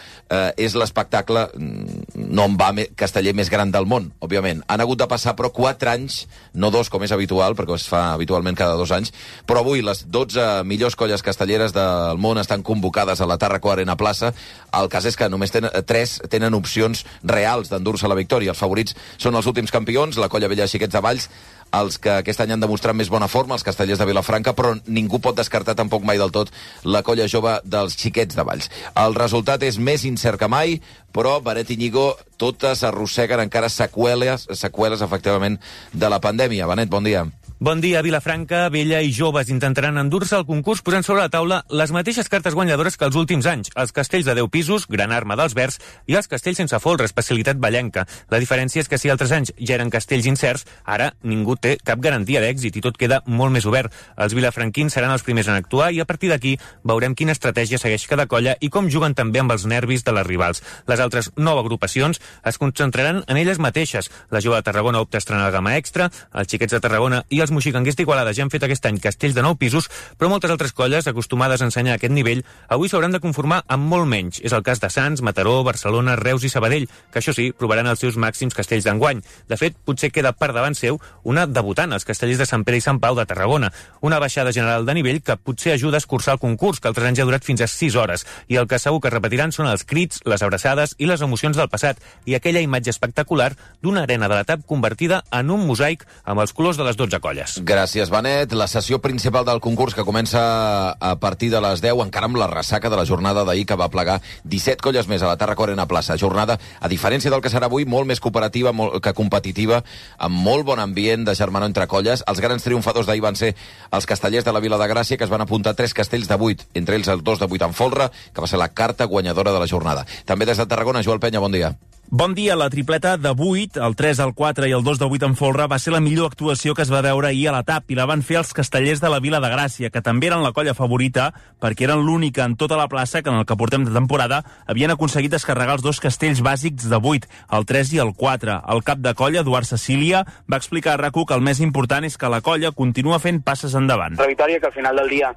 És l'espectacle, no en va casteller més gran del món, òbviament. Han hagut de passar, però 4 anys, no 2 com és habitual, perquè es fa habitualment cada 2 anys, però avui les 12 millors colles castelleres del món estan convocades a la Tàrraco Arena Plaça. El cas és que només 3 tenen opcions reals d'endur-se la victòria. Els favorits són els últims campions, la colla vella de Xiquets de Valls, els que aquest any han demostrat més bona forma, els castellers de Vilafranca, però ningú pot descartar tampoc mai del tot la colla jove dels Xiquets de Valls. El resultat és més incert que mai, però Benet Iñigo, totes arrosseguen encara seqüeles efectivament de la pandèmia. Benet, bon dia. Bon dia. Vilafranca, Vella i Joves intentaran endur-se al concurs posant sobre la taula les mateixes cartes guanyadores que els últims anys. Els castells de 10 pisos, gran arma dels Verds, i els castells sense folre, especialitat vallenca. La diferència és que si altres anys ja eren castells incerts, ara ningú té cap garantia d'èxit i tot queda molt més obert. Els vilafranquins seran els primers en actuar i a partir d'aquí veurem quina estratègia segueix cada colla i com juguen també amb els nervis de les rivals. Les altres 9 agrupacions es concentraran en elles mateixes. La Jove de Tarragona opta a estrenar la gamma extra, els Xiquets de Tarragona i els moxicanguers d'Igualada ja han fet aquest any castells de 9 pisos, però moltes altres colles, acostumades a ensenyar aquest nivell, avui s'hauran de conformar amb molt menys. És el cas de Sants, Mataró, Barcelona, Reus i Sabadell, que això sí, provaran els seus màxims castells d'enguany. De fet, potser queda per davant seu una debutant, els castellers de Sant Pere i Sant Pau de Tarragona. Una baixada general de nivell que potser ajuda a escurçar el concurs, que altres anys ha durat fins a 6 hores. I el que segur que repetiran són els crits, les abraçades i les emocions del passat, i aquella imatge espectacular d'una arena de la TAP convertida en un mosaic amb els colors de les 12 colles. Gràcies, Benet. La sessió principal del concurs, que comença a partir de les 10, encara amb la ressaca de la jornada d'ahir, que va plegar 17 colles més a la Tàrraco Arena Plaça. Jornada, a diferència del que serà avui, molt més cooperativa que competitiva, amb molt bon ambient de germanor entre colles. Els grans triomfadors d'ahir van ser els castellers de la Vila de Gràcia, que es van apuntar 3 castells de 8, entre ells el 2 de 8 en folre, que va ser la carta guanyadora de la jornada. També des de Tarragona, Joel Penya, bon dia. Bon dia. La tripleta de 8, el 3, el 4 i el 2 de 8 en folre va ser la millor actuació que es va veure ahir a la TAP i la van fer els castellers de la Vila de Gràcia, que també eren la colla favorita perquè eren l'única en tota la plaça que en el que portem de temporada havien aconseguit descarregar els 2 castells bàsics de 8, el 3 i el 4. El cap de colla, Eduard Cecília, va explicar a RAC1 que el més important és que la colla continua fent passes endavant. La victòria, que al final del dia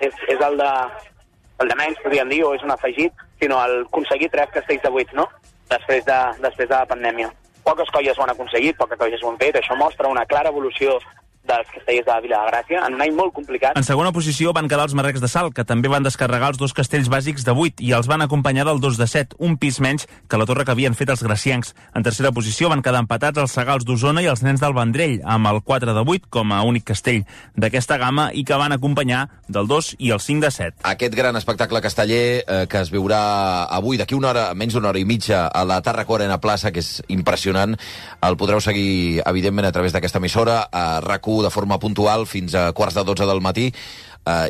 és el de menys, podríem dir, o és un afegit, sinó el aconseguir 3 castells de 8, no?, després de la pandèmia. Poques colles ho han aconseguit, poques colles ho han fet. Això mostra una clara evolució dels castellers de la Vila de Gràcia, en un any molt complicat. En segona posició van quedar els Marrecs de Salt, que també van descarregar els 2 castells bàsics de 8 i els van acompanyar del 2 de 7, un pis menys que la torre que havien fet els graciencs. En tercera posició van quedar empatats els Segals d'Osona i els Nens del Vendrell, amb el 4 de 8 com a únic castell d'aquesta gamma i que van acompanyar del 2 i el 5 de 7. Aquest gran espectacle casteller que es veurà avui, d'aquí una hora, menys d'una hora i mitja, a la Tàrraco Arena Plaça, que és impressionant, el podreu seguir, evidentment, a través d'aquesta emissora, a RAC1, informatiu de forma puntual fins a 11:45 del matí,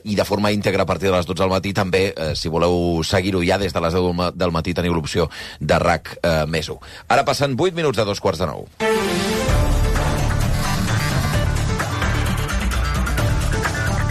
i de forma íntegra a partir de les 12 del matí. També, si voleu seguir-ho ja des de les 10 del matí, teniu l'opció de RAC més 1. Ara passen 8 minuts de 8:45.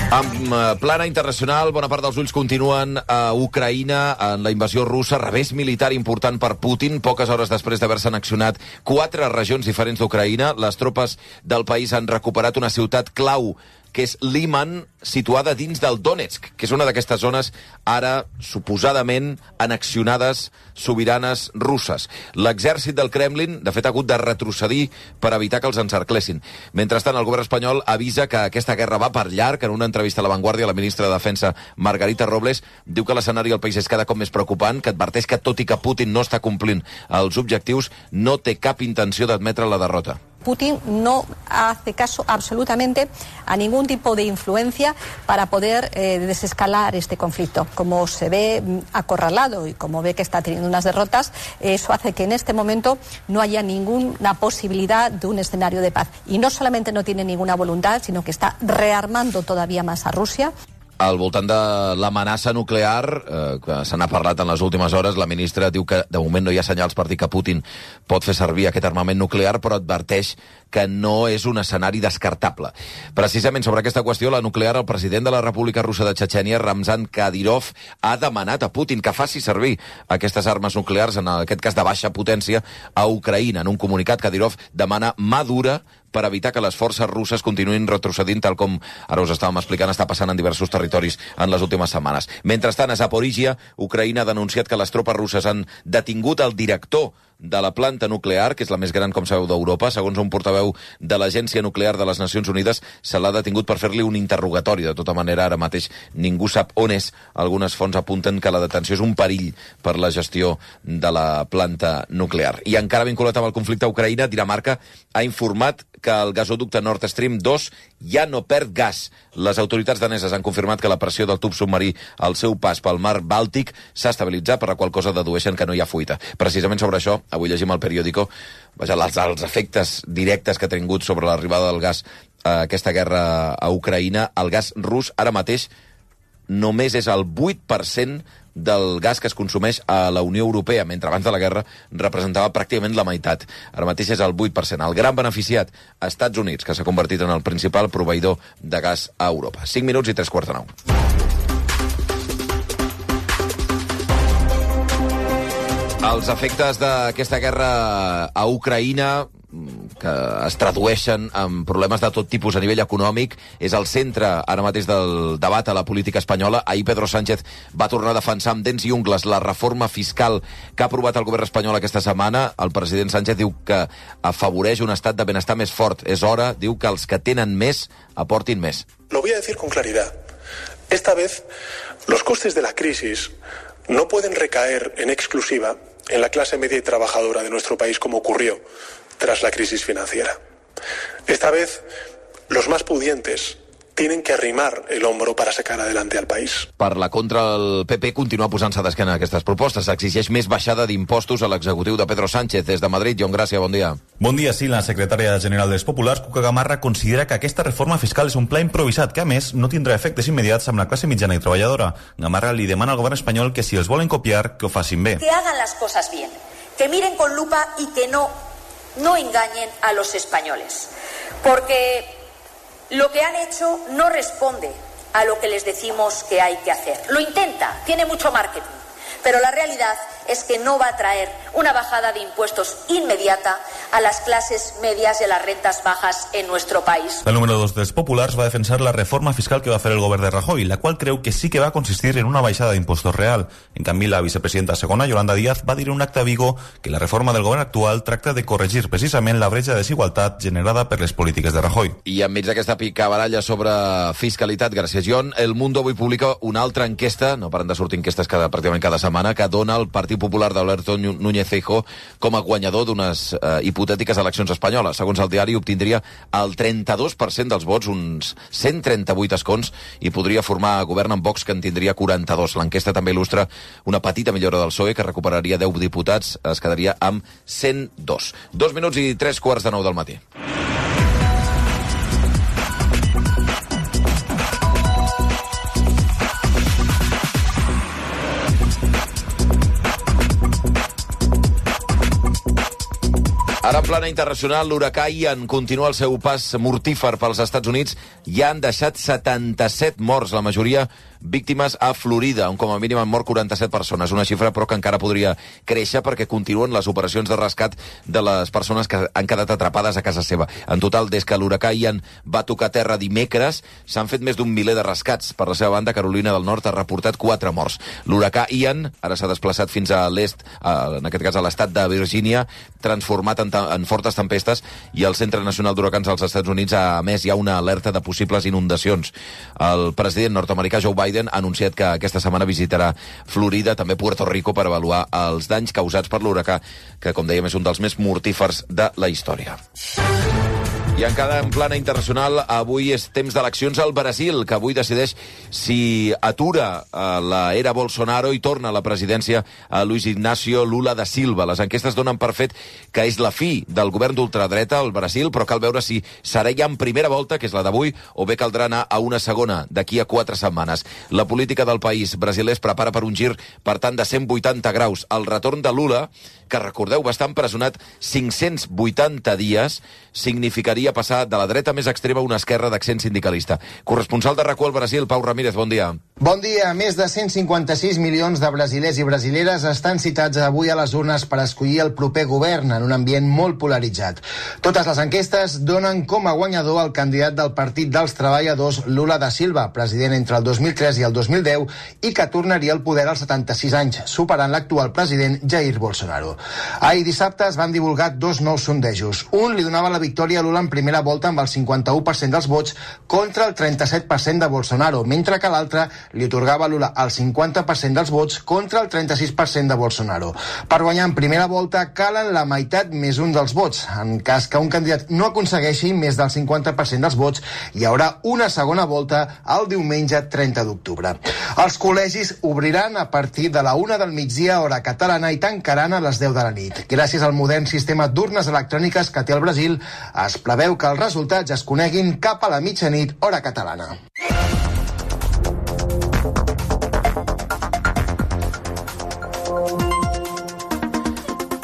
Amb plana internacional, bona part dels ulls continuen a Ucraïna en la invasió russa, revés militar important per Putin. Poques hores després d'haver-se annexionat 4 regions diferents d'Ucraïna, les tropes del país han recuperat una ciutat clau, que és Liman, situada dins del Donetsk, que és una d'aquestes zones ara suposadament annexionades sobiranes russes. L'exèrcit del Kremlin, de fet, ha hagut de retrocedir per evitar que els encerclessin. Mentrestant, el govern espanyol avisa que aquesta guerra va per llarg. En una entrevista a La Vanguardia, la ministra de Defensa, Margarita Robles, diu que l'escenari al país és cada cop més preocupant, que adverteix que, tot i que Putin no està complint els objectius, no té cap intenció d'admetre la derrota. Putin no hace caso absolutamente a ningún tipo de influencia para poder desescalar este conflicto. Como se ve acorralado y como ve que está teniendo unas derrotas, eso hace que en este momento no haya ninguna posibilidad de un escenario de paz. Y no solamente no tiene ninguna voluntad, sino que está rearmando todavía más a Rusia. Al voltant de l'amenaça nuclear, que se n'ha parlat en les últimes hores, la ministra diu que de moment no hi ha senyals per dir que Putin pot fer servir aquest armament nuclear, però adverteix que no és un escenari descartable. Precisament sobre aquesta qüestió, la nuclear, el president de la República Russa de Txetxènia, Ramzan Kadyrov, ha demanat a Putin que faci servir aquestes armes nuclears, en aquest cas de baixa potència, a Ucraïna. En un comunicat, Kadyrov demana mà dura per evitar que les forces russes continuïn retrocedint, tal com ara us estàvem explicant, està passant en diversos territoris en les últimes setmanes. Mentrestant, a Zaporígia, Ucraïna ha denunciat que les tropes russes han detingut el director de la planta nuclear, que és la més gran, com sabeu, d'Europa. Segons un portaveu de l'Agència Nuclear de les Nacions Unides, se l'ha detingut per fer-li un interrogatori. De tota manera, ara mateix ningú sap on és. Algunes fonts apunten que la detenció és un perill per la gestió de la planta nuclear. I encara vinculat amb el conflicte a Ucraïna, Dinamarca ha informat que el gasoducte Nord Stream 2 ja no perd gas. Les autoritats daneses han confirmat que la pressió del tub submarí al seu pas pel mar Bàltic s'ha estabilitzat, per la qual cosa dedueixen que no hi ha fuita. Precisament sobre això, avui llegim al periòdico els efectes directes que ha tingut sobre l'arribada del gas a aquesta guerra a Ucraïna. El gas rus ara mateix només és el 8% del gas que es consumeix a la Unió Europea, mentre abans de la guerra representava pràcticament la meitat. Ara mateix és el 8%. El gran beneficiat, Estats Units, que s'ha convertit en el principal proveïdor de gas a Europa. 5 minuts i 3:45. Els efectes d'aquesta guerra a Ucraïna, que es tradueixen en problemes de tot tipus a nivell econòmic, és el centre ara mateix del debat a la política espanyola. Ahir Pedro Sánchez va tornar a defensar amb dents i ungles la reforma fiscal que ha aprovat el govern espanyol aquesta setmana. El president Sánchez diu que afavoreix un estat de benestar més fort. És hora, diu, que els que tenen més aportin més. Lo voy a decir con claridad. Esta vez, los costes de la crisis no pueden recaer en exclusiva en la clase media y trabajadora de nuestro país, como ocurrió tras la crisis financiera. Esta vez, los más pudientes tienen que arrimar el hombro para sacar adelante al país. Per la contra, el PP continua posant-se d'esquena a aquestes propostes. Exigeix més baixada d'impostos a l'executiu de Pedro Sánchez. Des de Madrid, John Gràcia, bon dia. Bon dia, sí. La secretària general dels Populars, Cuca Gamarra, considera que aquesta reforma fiscal és un pla improvisat que, a més, no tindrà efectes immediats amb la classe mitjana i treballadora. Gamarra li demana al govern espanyol que, si els volen copiar, que ho facin bé. Que hagan las cosas bien, que miren con lupa y que no engañen a los españoles. Porque lo que han hecho no responde a lo que les decimos que hay que hacer. Lo intenta, tiene mucho marketing, pero la realidad es que no va a traer una bajada de impuestos inmediata a las clases medias y a las rentas bajas en nuestro país. El número 2 dels Populars va defensar la reforma fiscal que va fer el govern de Rajoy, la qual creu que sí que va consistir en una baixada d'impostos real. En canvi, la vicepresidenta segona, Yolanda Díaz, va dir en un acte a Vigo que la reforma del govern actual tracta de corregir precisament la bretxa de desigualtat generada per les polítiques de Rajoy. I enmig d'aquesta picabaralla sobre fiscalitat, gràcies, John, El Mundo avui publica una altra enquesta, no paren de sortir enquestes pràcticament cada setmana, que dona el Partit Popular d'Alberto Núñez Feijóo com a guanyador d'unes hipotètiques eleccions espanyoles. Segons el diari, obtindria el 32% dels vots, uns 138 escons, i podria formar govern amb Vox, que en tindria 42. L'enquesta també il·lustra una petita millora del PSOE, que recuperaria 10 diputats, es quedaria amb 102. 2 minuts i 3:15 del matí. Ara, en plana internacional, l'huracà Ian continua el seu pas mortífer pels Estats Units i han deixat 77 morts, la majoria víctimes a Florida, on com a mínim han mort 47 persones, una xifra però que encara podria créixer perquè continuen les operacions de rescat de les persones que han quedat atrapades a casa seva. En total, des que l'huracà Ian va tocar terra dimecres, s'han fet més d'un miler de rescats. Per la seva banda, Carolina del Nord ha reportat 4 morts. L'huracà Ian ara s'ha desplaçat fins a l'est, en aquest cas a l'estat de Virgínia, transformat en fortes tempestes, i el Centre Nacional d'Huracans dels Estats Units ha emès ja una alerta de possibles inundacions. El president nord-americà Joe Biden ha anunciat que aquesta setmana visitarà Florida, també Puerto Rico, per avaluar els danys causats per l'huracà, que, com dèiem, és un dels més mortífers de la història. I encara en plana internacional, avui és temps d'eleccions al Brasil, que avui decideix si atura l'era Bolsonaro i torna a la presidència a Luis Ignacio Lula da Silva. Les enquestes donen per fet que és la fi del govern d'ultradreta al Brasil, però cal veure si serà ja en primera volta, que és la d'avui, o bé caldrà anar a una segona d'aquí a 4 setmanes. La política del país brasiler es prepara per un gir, per tant, de 180 graus. El retorn de Lula, que recordeu va estar empresonat 580 dies, significaria passar de la dreta més extrema a una esquerra d'accent sindicalista. Corresponsal de RAC1 al Brasil, Pau Ramírez, bon dia. Bon dia. Més de 156 milions de brasilers i brasileres estan citats avui a les urnes per escollir el proper govern en un ambient molt polaritzat. Totes les enquestes donen com a guanyador el candidat del Partit dels Treballadors, Lula da Silva, president entre el 2003 i el 2010 i que tornaria al poder als 76 anys, superant l'actual president Jair Bolsonaro. Ahir dissabte es van divulgar 2 nous sondejos. Un li donava la victòria a Lula en primera volta amb el 51% dels vots contra el 37% de Bolsonaro, mentre que l'altre li atorgava a Lula el 50% dels vots contra el 36% de Bolsonaro. Per guanyar en primera volta calen la meitat més un dels vots. En cas que un candidat no aconsegueixi més del 50% dels vots, hi haurà una segona volta el diumenge 30 d'octubre. Els col·legis obriran a partir de la 1 del migdia, hora catalana, i tancaran a les 10 de la nit. Gràcies al modern sistema d'urnes electròniques que té el Brasil, es preveu que els resultats es coneguin cap a la mitjanit, hora catalana.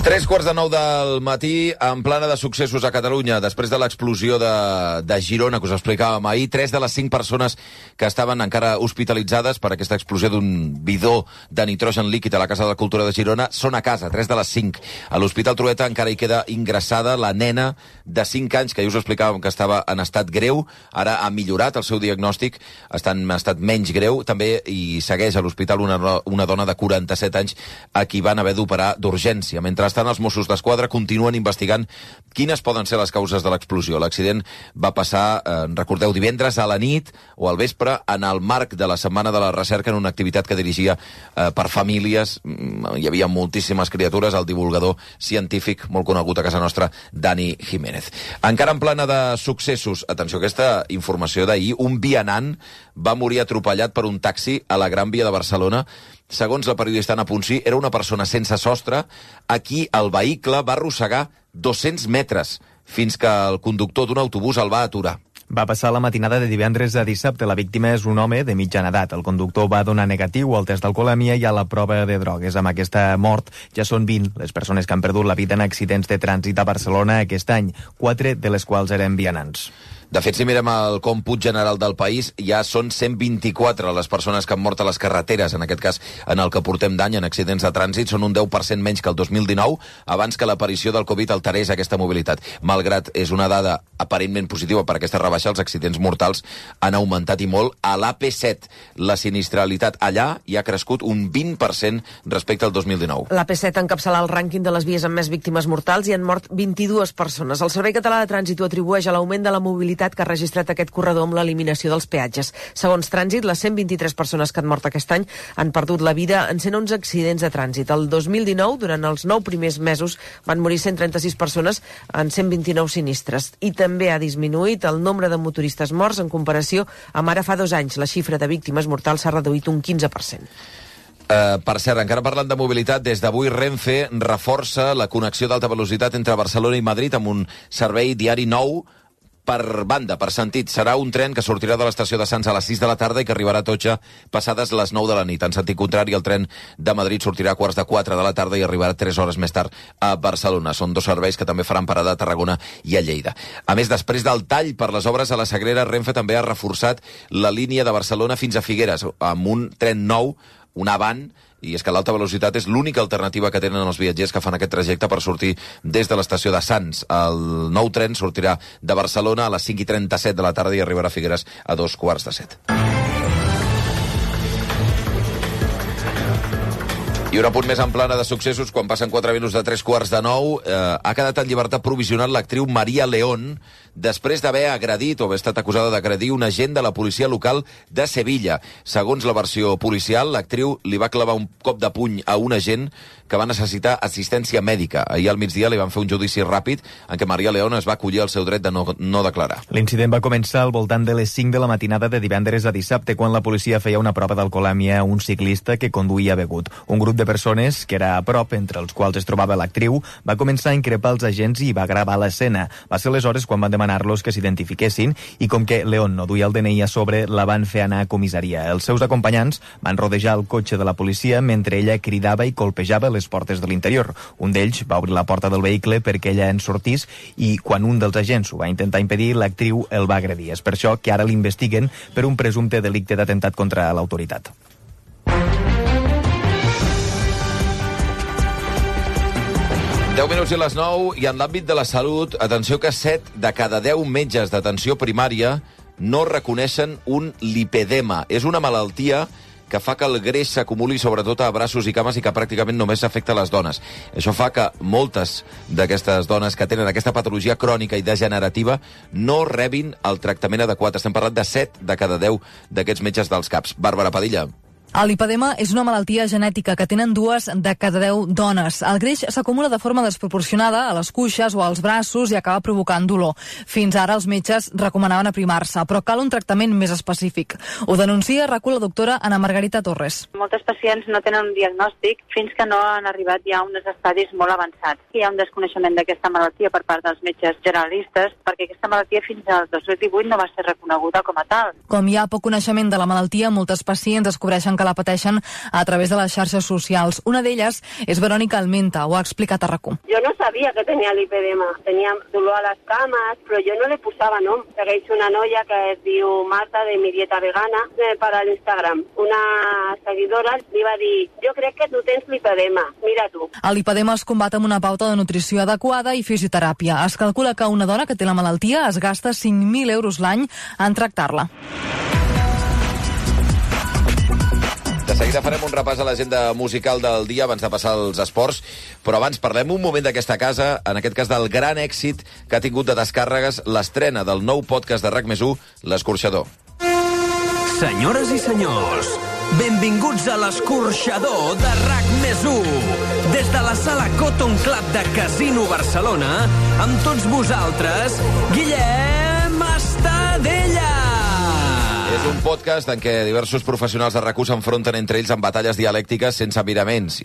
3:45 del matí, en plana de successos a Catalunya, després de l'explosió de Girona, que us explicàvem ahir. 3 de les 5 persones que estaven encara hospitalitzades per aquesta explosió d'un bidó de nitrogen líquid a la Casa de la Cultura de Girona són a casa, 3 de les 5. A l'Hospital Trueta encara hi queda ingressada la nena de 5 anys, que ja us explicàvem que estava en estat greu. Ara ha millorat el seu diagnòstic, està en estat menys greu. També hi segueix a l'hospital una dona de 47 anys a qui van haver d'operar d'urgència. Mentrestant, els Mossos d'Esquadra continuen investigant quines poden ser les causes de l'explosió. L'accident va passar, recordeu, divendres a la nit o al vespre en el marc de la Setmana de la Recerca, en una activitat que dirigia per famílies. Hi havia moltíssimes criatures, el divulgador científic molt conegut a casa nostra, Dani Jiménez. Encara en plana de successos, atenció a aquesta informació d'ahir, un vianant va morir atropellat per un taxi a la Gran Via de Barcelona. Segons la periodista Anna Ponsí, era una persona sense sostre a qui el vehicle va arrossegar 200 metres fins que el conductor d'un autobús el va aturar. Va passar la matinada de divendres a dissabte. La víctima és un home de mitjana edat. El conductor va donar negatiu al test d'alcoholèmia i a la prova de drogues. Amb aquesta mort ja són 20 les persones que han perdut la vida en accidents de trànsit a Barcelona aquest any, 4 de les quals eren vianants. De fet, si mirem el còmput general del país, ja són 124 les persones que han mort a les carreteres, en aquest cas en el que portem d'any en accidents de trànsit. Són un 10% menys que el 2019, abans que l'aparició del Covid alterés aquesta mobilitat. Malgrat és una dada aparentment positiva per aquesta rebaixa, els accidents mortals han augmentat i molt. A l'AP7, la sinistralitat allà hi ha crescut un 20% respecte al 2019. L'AP7 encapçala el rànquing de les vies amb més víctimes mortals i han mort 22 persones. El Servei Català de Trànsit ho atribueix a l'augment de la mobilitat que ha registrat aquest corredor amb l'eliminació dels peatges. Segons Trànsit, les 123 persones que han mort aquest any han perdut la vida en 111 accidents de trànsit. El 2019, durant els 9 primers mesos, van morir 136 persones en 129 sinistres. I també ha disminuït el nombre de motoristes morts en comparació amb ara fa 2 anys. La xifra de víctimes mortals s'ha reduït un 15%. Per cert, encara parlant de mobilitat, des d'avui Renfe reforça la connexió d'alta velocitat entre Barcelona i Madrid amb un servei diari nou per banda, per sentit. Serà un tren que sortirà de l'estació de Sants a les 6 de la tarda i que arribarà a Totxa passades les 9 de la nit. En sentit contrari, el tren de Madrid sortirà a 3:15 de la tarda i arribarà 3 hores més tard a Barcelona. Són dos serveis que també faran parada a Tarragona i a Lleida. A més, després del tall per les obres a la Sagrera, Renfe també ha reforçat la línia de Barcelona fins a Figueres, amb un tren nou, un Avant, i és que l'alta velocitat és l'única alternativa que tenen els viatgers que fan aquest trajecte per sortir des de l'estació de Sants. El nou tren sortirà de Barcelona a les 5:37 de la tarda i arribarà a Figueres a 6:15. I un apunt més en plana de successos, quan passen 4 minuts de 3:15, ha quedat en llibertat provisional l'actriu Maria León, després d'haver agredit o haver estat acusada d'agredir un agent de la policia local de Sevilla. Segons la versió policial, l'actriu li va clavar un cop de puny a un agent que va necessitar assistència mèdica. Ahir al migdia li van fer un judici ràpid en què Maria León es va acollir al seu dret de no declarar. L'incident va començar al voltant de les 5 de la matinada de divendres a dissabte, quan la policia feia una prova d'alcoholèmia a un ciclista que conduïa begut. Un grup de persones que era a prop, entre els quals es trobava l'actriu, va començar a increpar els agents i va gravar l'escena. Va ser aleshores quan van demanar-los que s'identifiquessin i com que León no duia el DNI a sobre, la van fer anar a comissaria. Els seus acompanyants van rodejar el cotxe de la policia mentre ella cridava i colpejava les portes de l'interior. Un d'ells va obrir la porta del vehicle perquè ella en sortís i quan un dels agents ho va intentar impedir, l'actriu el va agredir. És per això que ara l'investiguen per un presumpte delicte d'atemptat contra l'autoritat. Deu minuts i les 9, i en l'àmbit de la salut, atenció que 7 de cada 10 metges d'atenció primària no reconeixen un lipedema. És una malaltia que fa que el greix s'acumuli sobretot a braços i cames i que pràcticament només afecta a les dones. Això fa que moltes d'aquestes dones que tenen aquesta patologia crònica i degenerativa no rebin el tractament adequat. Estem parlant de 7 de cada 10 d'aquests metges dels CAPs. Bàrbara Padilla. El lipedema és una malaltia genètica que tenen 2 de cada 10 dones. El greix s'acumula de forma desproporcionada a les cuixes o als braços i acaba provocant dolor. Fins ara els metges recomanaven aprimar-se, però cal un tractament més específic. Ho denuncia la doctora Ana Margarita Torres. Moltes pacients no tenen un diagnòstic fins que no han arribat ja a uns estadis molt avançats. Hi ha un desconeixement d'aquesta malaltia per part dels metges generalistes, perquè aquesta malaltia fins al 2018 no va ser reconeguda com a tal. Com hi ha poc coneixement de la malaltia, moltes pacients descobreixen que la pateixen a través de les xarxes socials. Una d'elles és Verònica Almenta, ho ha explicat a RAC1. Jo no sabia que tenia lipedema. Tenia dolor a les cames, però jo no li posava nom. Segueixo una noia que es diu Marta, de Mi Dieta Vegana, per a l'Instagram. Una seguidora li va dir: jo crec que tu tens lipedema, mira tu. El lipedema es combat amb una pauta de nutrició adequada i fisioteràpia. Es calcula que una dona que té la malaltia es gasta 5.000 euros l'any en tractar-la. De seguida farem un repàs a l'agenda musical del dia abans de passar als esports, però abans parlem un moment d'aquesta casa, en aquest cas del gran èxit que ha tingut de descàrregues l'estrena del nou podcast de RAC+1, L'Escorxador. Senyores i senyors, benvinguts a l'Escorxador de RAC+1. Des de la sala Cotton Club de Casino Barcelona, amb tots vosaltres, Guillem Estadella. És un podcast en què diversos professionals de RAC1 s'enfronten entre ells en batalles dialèctiques sense miraments.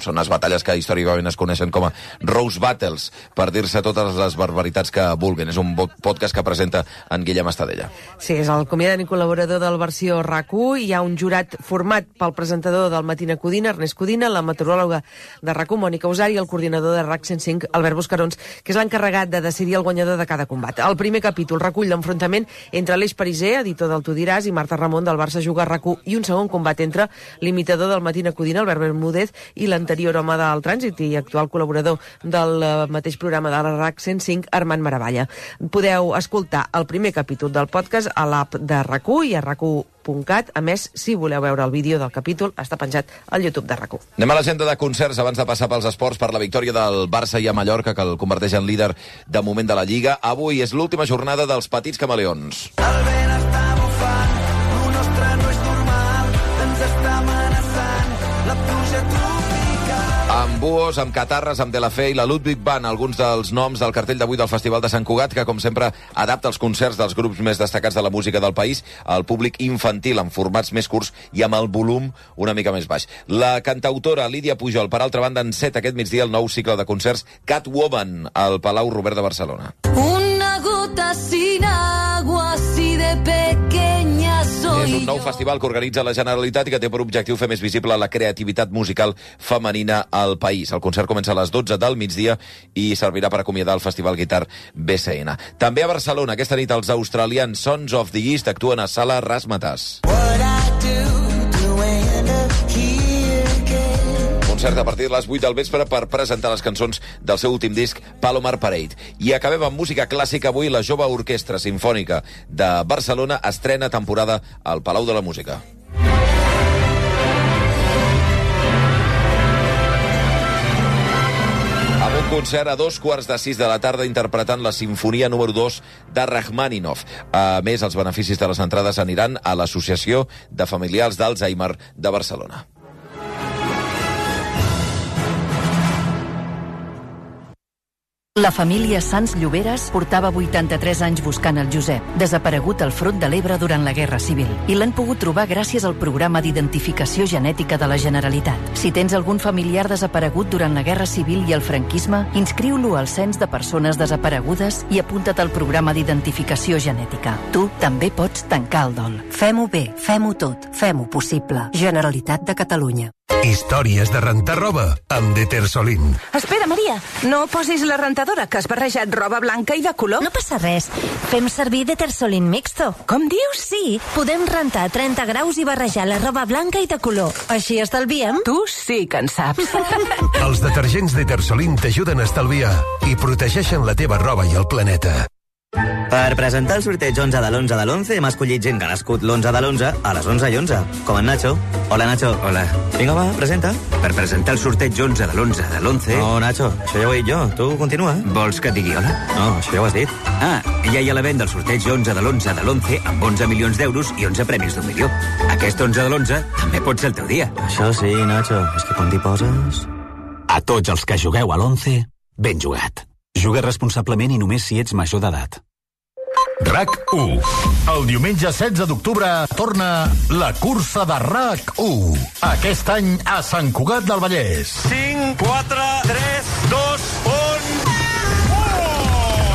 Són les batalles que històricament es coneixen com a Rose Battles, per dir-se totes les barbaritats que vulguin. És un podcast que presenta en Guillem Estadella. Sí, és el convidat i col·laborador del versió RAC1. Hi ha un jurat format pel presentador del Matina Codina, Ernest Codina, la meteoròloga de RAC1, Mònica Usari, i el coordinador de RAC 105, Albert Buscarons, que és l'encarregat de decidir el guanyador de cada combat. El primer capítol recull l'enfrontament entre Aleix Pariser, editor del Tu diràs, i Marta Ramon del Barça Juga a RAC1, i un segon combat entre l'imitador del Matina Codina, Albert Bermúdez, i l'anterior home del trànsit i actual col·laborador del mateix programa de la RAC 105, Armand Maravalla. Podeu escoltar el primer capítol del podcast a l'app de RAC1 i a RAC1.cat. A més, si voleu veure el vídeo del capítol, està penjat al YouTube de RAC1. Anem a l'agenda de concerts abans de passar pels esports per la victòria del Barça i a Mallorca, que el converteix en líder de moment de la Lliga. Avui és l'última jornada dels Petits Camaleons. El vent està bufant, lo nostre no és normal, ens està amenaçant la pluja tropical. Amb buos, amb catarres, amb De La Fe i la Ludwig Band, alguns dels noms del cartell d'avui del Festival de Sant Cugat, que com sempre adapta els concerts dels grups més destacats de la música del país al públic infantil, en formats més curts i amb el volum una mica més baix. La cantautora Lídia Pujol, per altra banda, enceta aquest migdia el nou cicle de concerts Catwoman al Palau Robert de Barcelona. Una gota gota sin agua, así de pequeña soy. És un nou festival que organitza la Generalitat i que té per objectiu fer més visible la creativitat musical femenina al país. El concert comença a les 12 del migdia i servirà per acomiadar el Festival Guitar BCN. També a Barcelona, aquesta nit, els australians Sons of the East actuen a Sala Razzmatazz. Concert a partir de les 8 del vespre per presentar les cançons del seu últim disc, Palomar Parade. I acabem amb música clàssica avui. La Jove Orquestra Simfònica de Barcelona estrena temporada al Palau de la Música. Amb un concert a 5:15 de la tarda interpretant la Sinfonia número 2 de Rachmaninoff. A més, els beneficis de les entrades aniran a l'Associació de Familiars d'Alzheimer de Barcelona. La família Sans Lloberes portava 83 anys buscant el Josep, desaparegut al Front de l'Ebre durant la Guerra Civil, i l'han pogut trobar gràcies al programa d'identificació genètica de la Generalitat. Si tens algun familiar desaparegut durant la Guerra Civil i el franquisme, inscriu-lo al Cens de Persones Desaparegudes i apunta't al programa d'identificació genètica. Tu també pots tancar el dol. Fem-ho bé, fem-ho tot, fem-ho possible. Generalitat de Catalunya. Històries de rentar roba amb Detersolin. Espera, Maria, no posis la rentadora, que has barrejat roba blanca i de color. No passa res. Fem servir Detersolin Mixto. Com dius? Sí, podem rentar 30 graus i barrejar la roba blanca i de color. Així estalviem. Tu sí que en saps. Els detergents Detersolin t'ajuden a estalviar i protegeixen la teva roba i el planeta. Per presentar el sorteig 11 de l'11 de l'11 hem escollit gent que ha nascut l'11 de l'11 a les 11:11, com en Nacho. Hola, Nacho. Hola. Vinga, va, presenta. Per presentar el sorteig 11 de l'11 de l'11... No, Nacho, això ja ho he dit jo. Tu continua. Vols que et digui hola? No, això ja ho has dit. Ah, ja hi ha l'event del sorteig 11 de l'11 de l'11 amb 11 milions d'euros i 11 premis d'1 milió. Aquest 11 de l'11 també pot ser el teu dia. Això sí, Nacho, és que quan t'hi poses... A tots els que jugueu a l'11, ben jugat. Juga responsablement i només si ets major d'edat. RAC1. El diumenge 16 d'octubre torna la cursa de RAC1. Aquest any a Sant Cugat del Vallès. 5, 4, 3, 2, 1...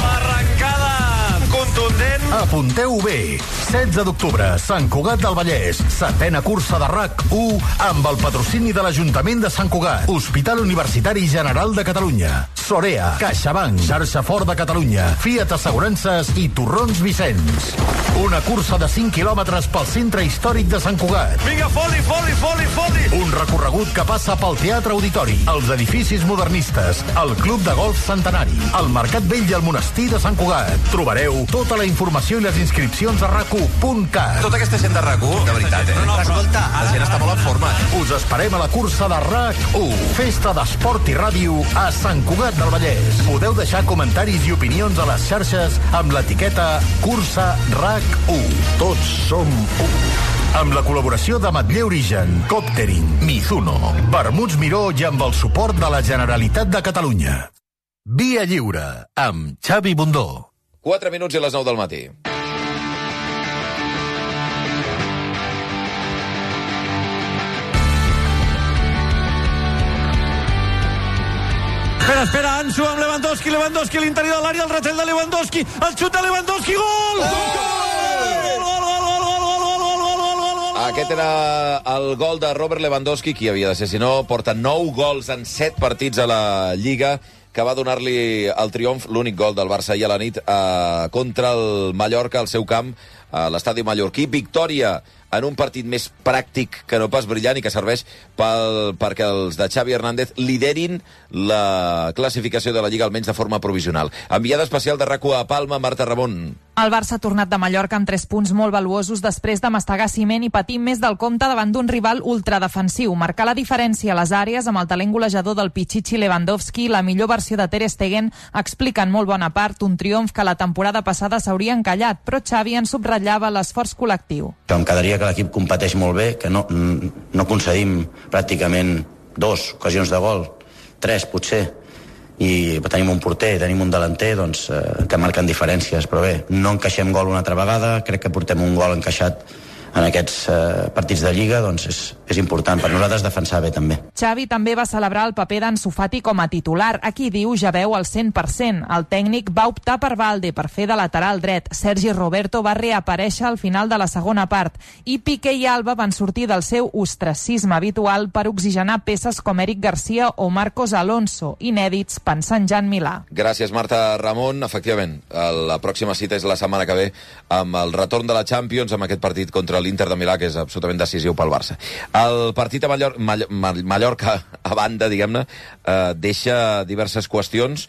Arrencada contundent. Apunteu bé. 16 d'octubre, Sant Cugat del Vallès. 7ª cursa de RAC1 amb el patrocini de l'Ajuntament de Sant Cugat, Hospital Universitari General de Catalunya, Sorea, CaixaBank, Xarxa Fort de Catalunya, Fiat Assegurances i Torrons Vicenç. Una cursa de 5 quilòmetres pel centre històric de Sant Cugat. Vinga, foli! Un recorregut que passa pel Teatre Auditori, els edificis modernistes, el Club de Golf Centenari, el Mercat Vell i el Monestir de Sant Cugat. Trobareu tota la informació i les inscripcions a RAC1.cat. Tota aquesta gent de RAC1, de veritat, No, escolta, la gent està molt en forma. Us esperem a la cursa de RAC1, festa d'esport i ràdio a Sant Cugat del Vallès. Podeu deixar comentaris i opinions a les xarxes amb l'etiqueta Cursa RAC1. Tots som u. Amb la col·laboració de Matller Origen, Coptering, Mizuno, Vermuts Miró i amb el suport de la Generalitat de Catalunya. Via Lliure, amb Xavi Bundó. 4 minuts i les 9 del matí. Espera, Ansu amb Lewandowski, a l'interior de l'àrea, el retall de Lewandowski, el xut de Lewandowski, gol! Aquest era el gol de Robert Lewandowski, qui havia de ser, si no, porta 9 gols en 7 partits a la Lliga, que va donar-li el triomf, l'únic gol del Barça ahir a la nit contra el Mallorca, al seu camp, a l'estadi mallorquí. Victòria en un partit més pràctic que no pas brillant i que serveix perquè els de Xavi Hernández liderin la classificació de la Lliga, almenys de forma provisional. Enviada especial de RAC1 a Palma, Marta Ramon. El Barça ha tornat de Mallorca amb 3 punts molt valuosos després de mastegar ciment i patir més del compte davant d'un rival ultradefensiu. Marcar la diferència a les àrees amb el talent golejador del Pichichi Lewandowski, la millor versió de Ter Stegen, explica en molt bona part un triomf que la temporada passada s'hauria encallat, però Xavi en subratllava l'esforç col·lectiu. Em quedaria que l'equip competeix molt bé, que no concedim pràcticament 2 ocasions de gol, 3 potser, i tenim un porter, tenim un delanter que marquen diferències, però bé, no encaixem gol una altra vegada, crec que portem un gol encaixat en aquests partits de Lliga, doncs és important per nosaltres defensar bé també. Xavi també va celebrar el paper d'Ansu Fati com a titular. Aquí diu ja veu al 100%. El tècnic va optar per Valde per fer de lateral dret. Sergi Roberto va reaparèixer al final de la segona part i Piqué i Alba van sortir del seu ostracisme habitual per oxigenar peces com Eric Garcia o Marcos Alonso, inèdits pensant ja en Milà. Gràcies, Marta. Ramon, efectivament, la pròxima cita és la setmana que ve amb el retorn de la Champions, amb aquest partit contra l'Inter de Milà, que és absolutament decisiu pel Barça. El partit a Mallorca, a banda, diguem-ne, deixa diverses qüestions.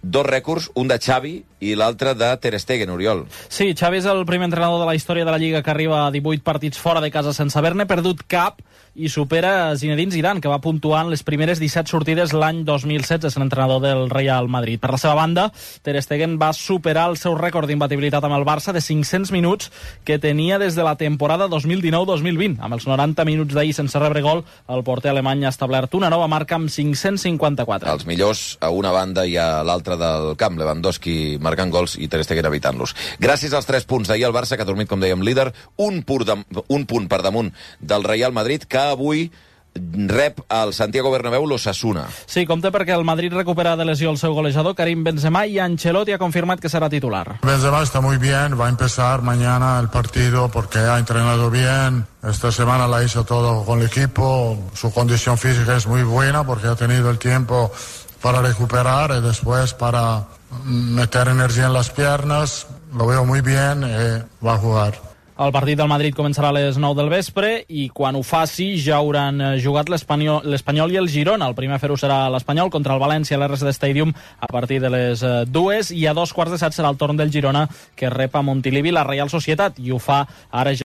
2 rècords, un de Xavi i l'altre de Ter Stegen, Oriol. Sí, Xavi és el primer entrenador de la història de la Lliga que arriba a 18 partits fora de casa sense haver-ne perdut cap i supera Zinedine Zidane, que va puntuar en les primeres 17 sortides l'any 2016, és l'entrenador del Real Madrid. Per la seva banda, Ter Stegen va superar el seu rècord d'imbatibilitat amb el Barça de 500 minuts que tenia des de la temporada 2019-2020. Amb els 90 minuts d'ahir sense rebre gol, el porter alemany ha establert una nova marca amb 554. Els millors a una banda i a l'altra del camp, Lewandowski marcant gols i Ter Stegen evitant-los. Gràcies als 3 punts d'ahir, el Barça, que ha dormit, com dèiem, líder, un punt per damunt del Real Madrid, que avui rep al Santiago Bernabéu l'Osasuna. Sí, compte perquè el Madrid recupera de lesió el seu golejador, Karim Benzema, i Ancelotti ha confirmat que serà titular. Benzema está muy bien, va a empezar mañana el partido porque ha entrenado bien. Esta semana la hizo todo con el equipo. Su condición física es muy buena porque ha tenido el tiempo para recuperar y después para meter energía en las piernas. Lo veo muy bien y va a jugar. El partit del Madrid començarà a les 9 del vespre i quan ho faci ja hauran jugat l'Espanyol i el Girona. El primer a fer-ho serà l'Espanyol contra el València a l'RSD Stadium a partir de les 2 i a 2:15 serà el torn del Girona, que rep a Montilivi la Real Societat, i ho fa ara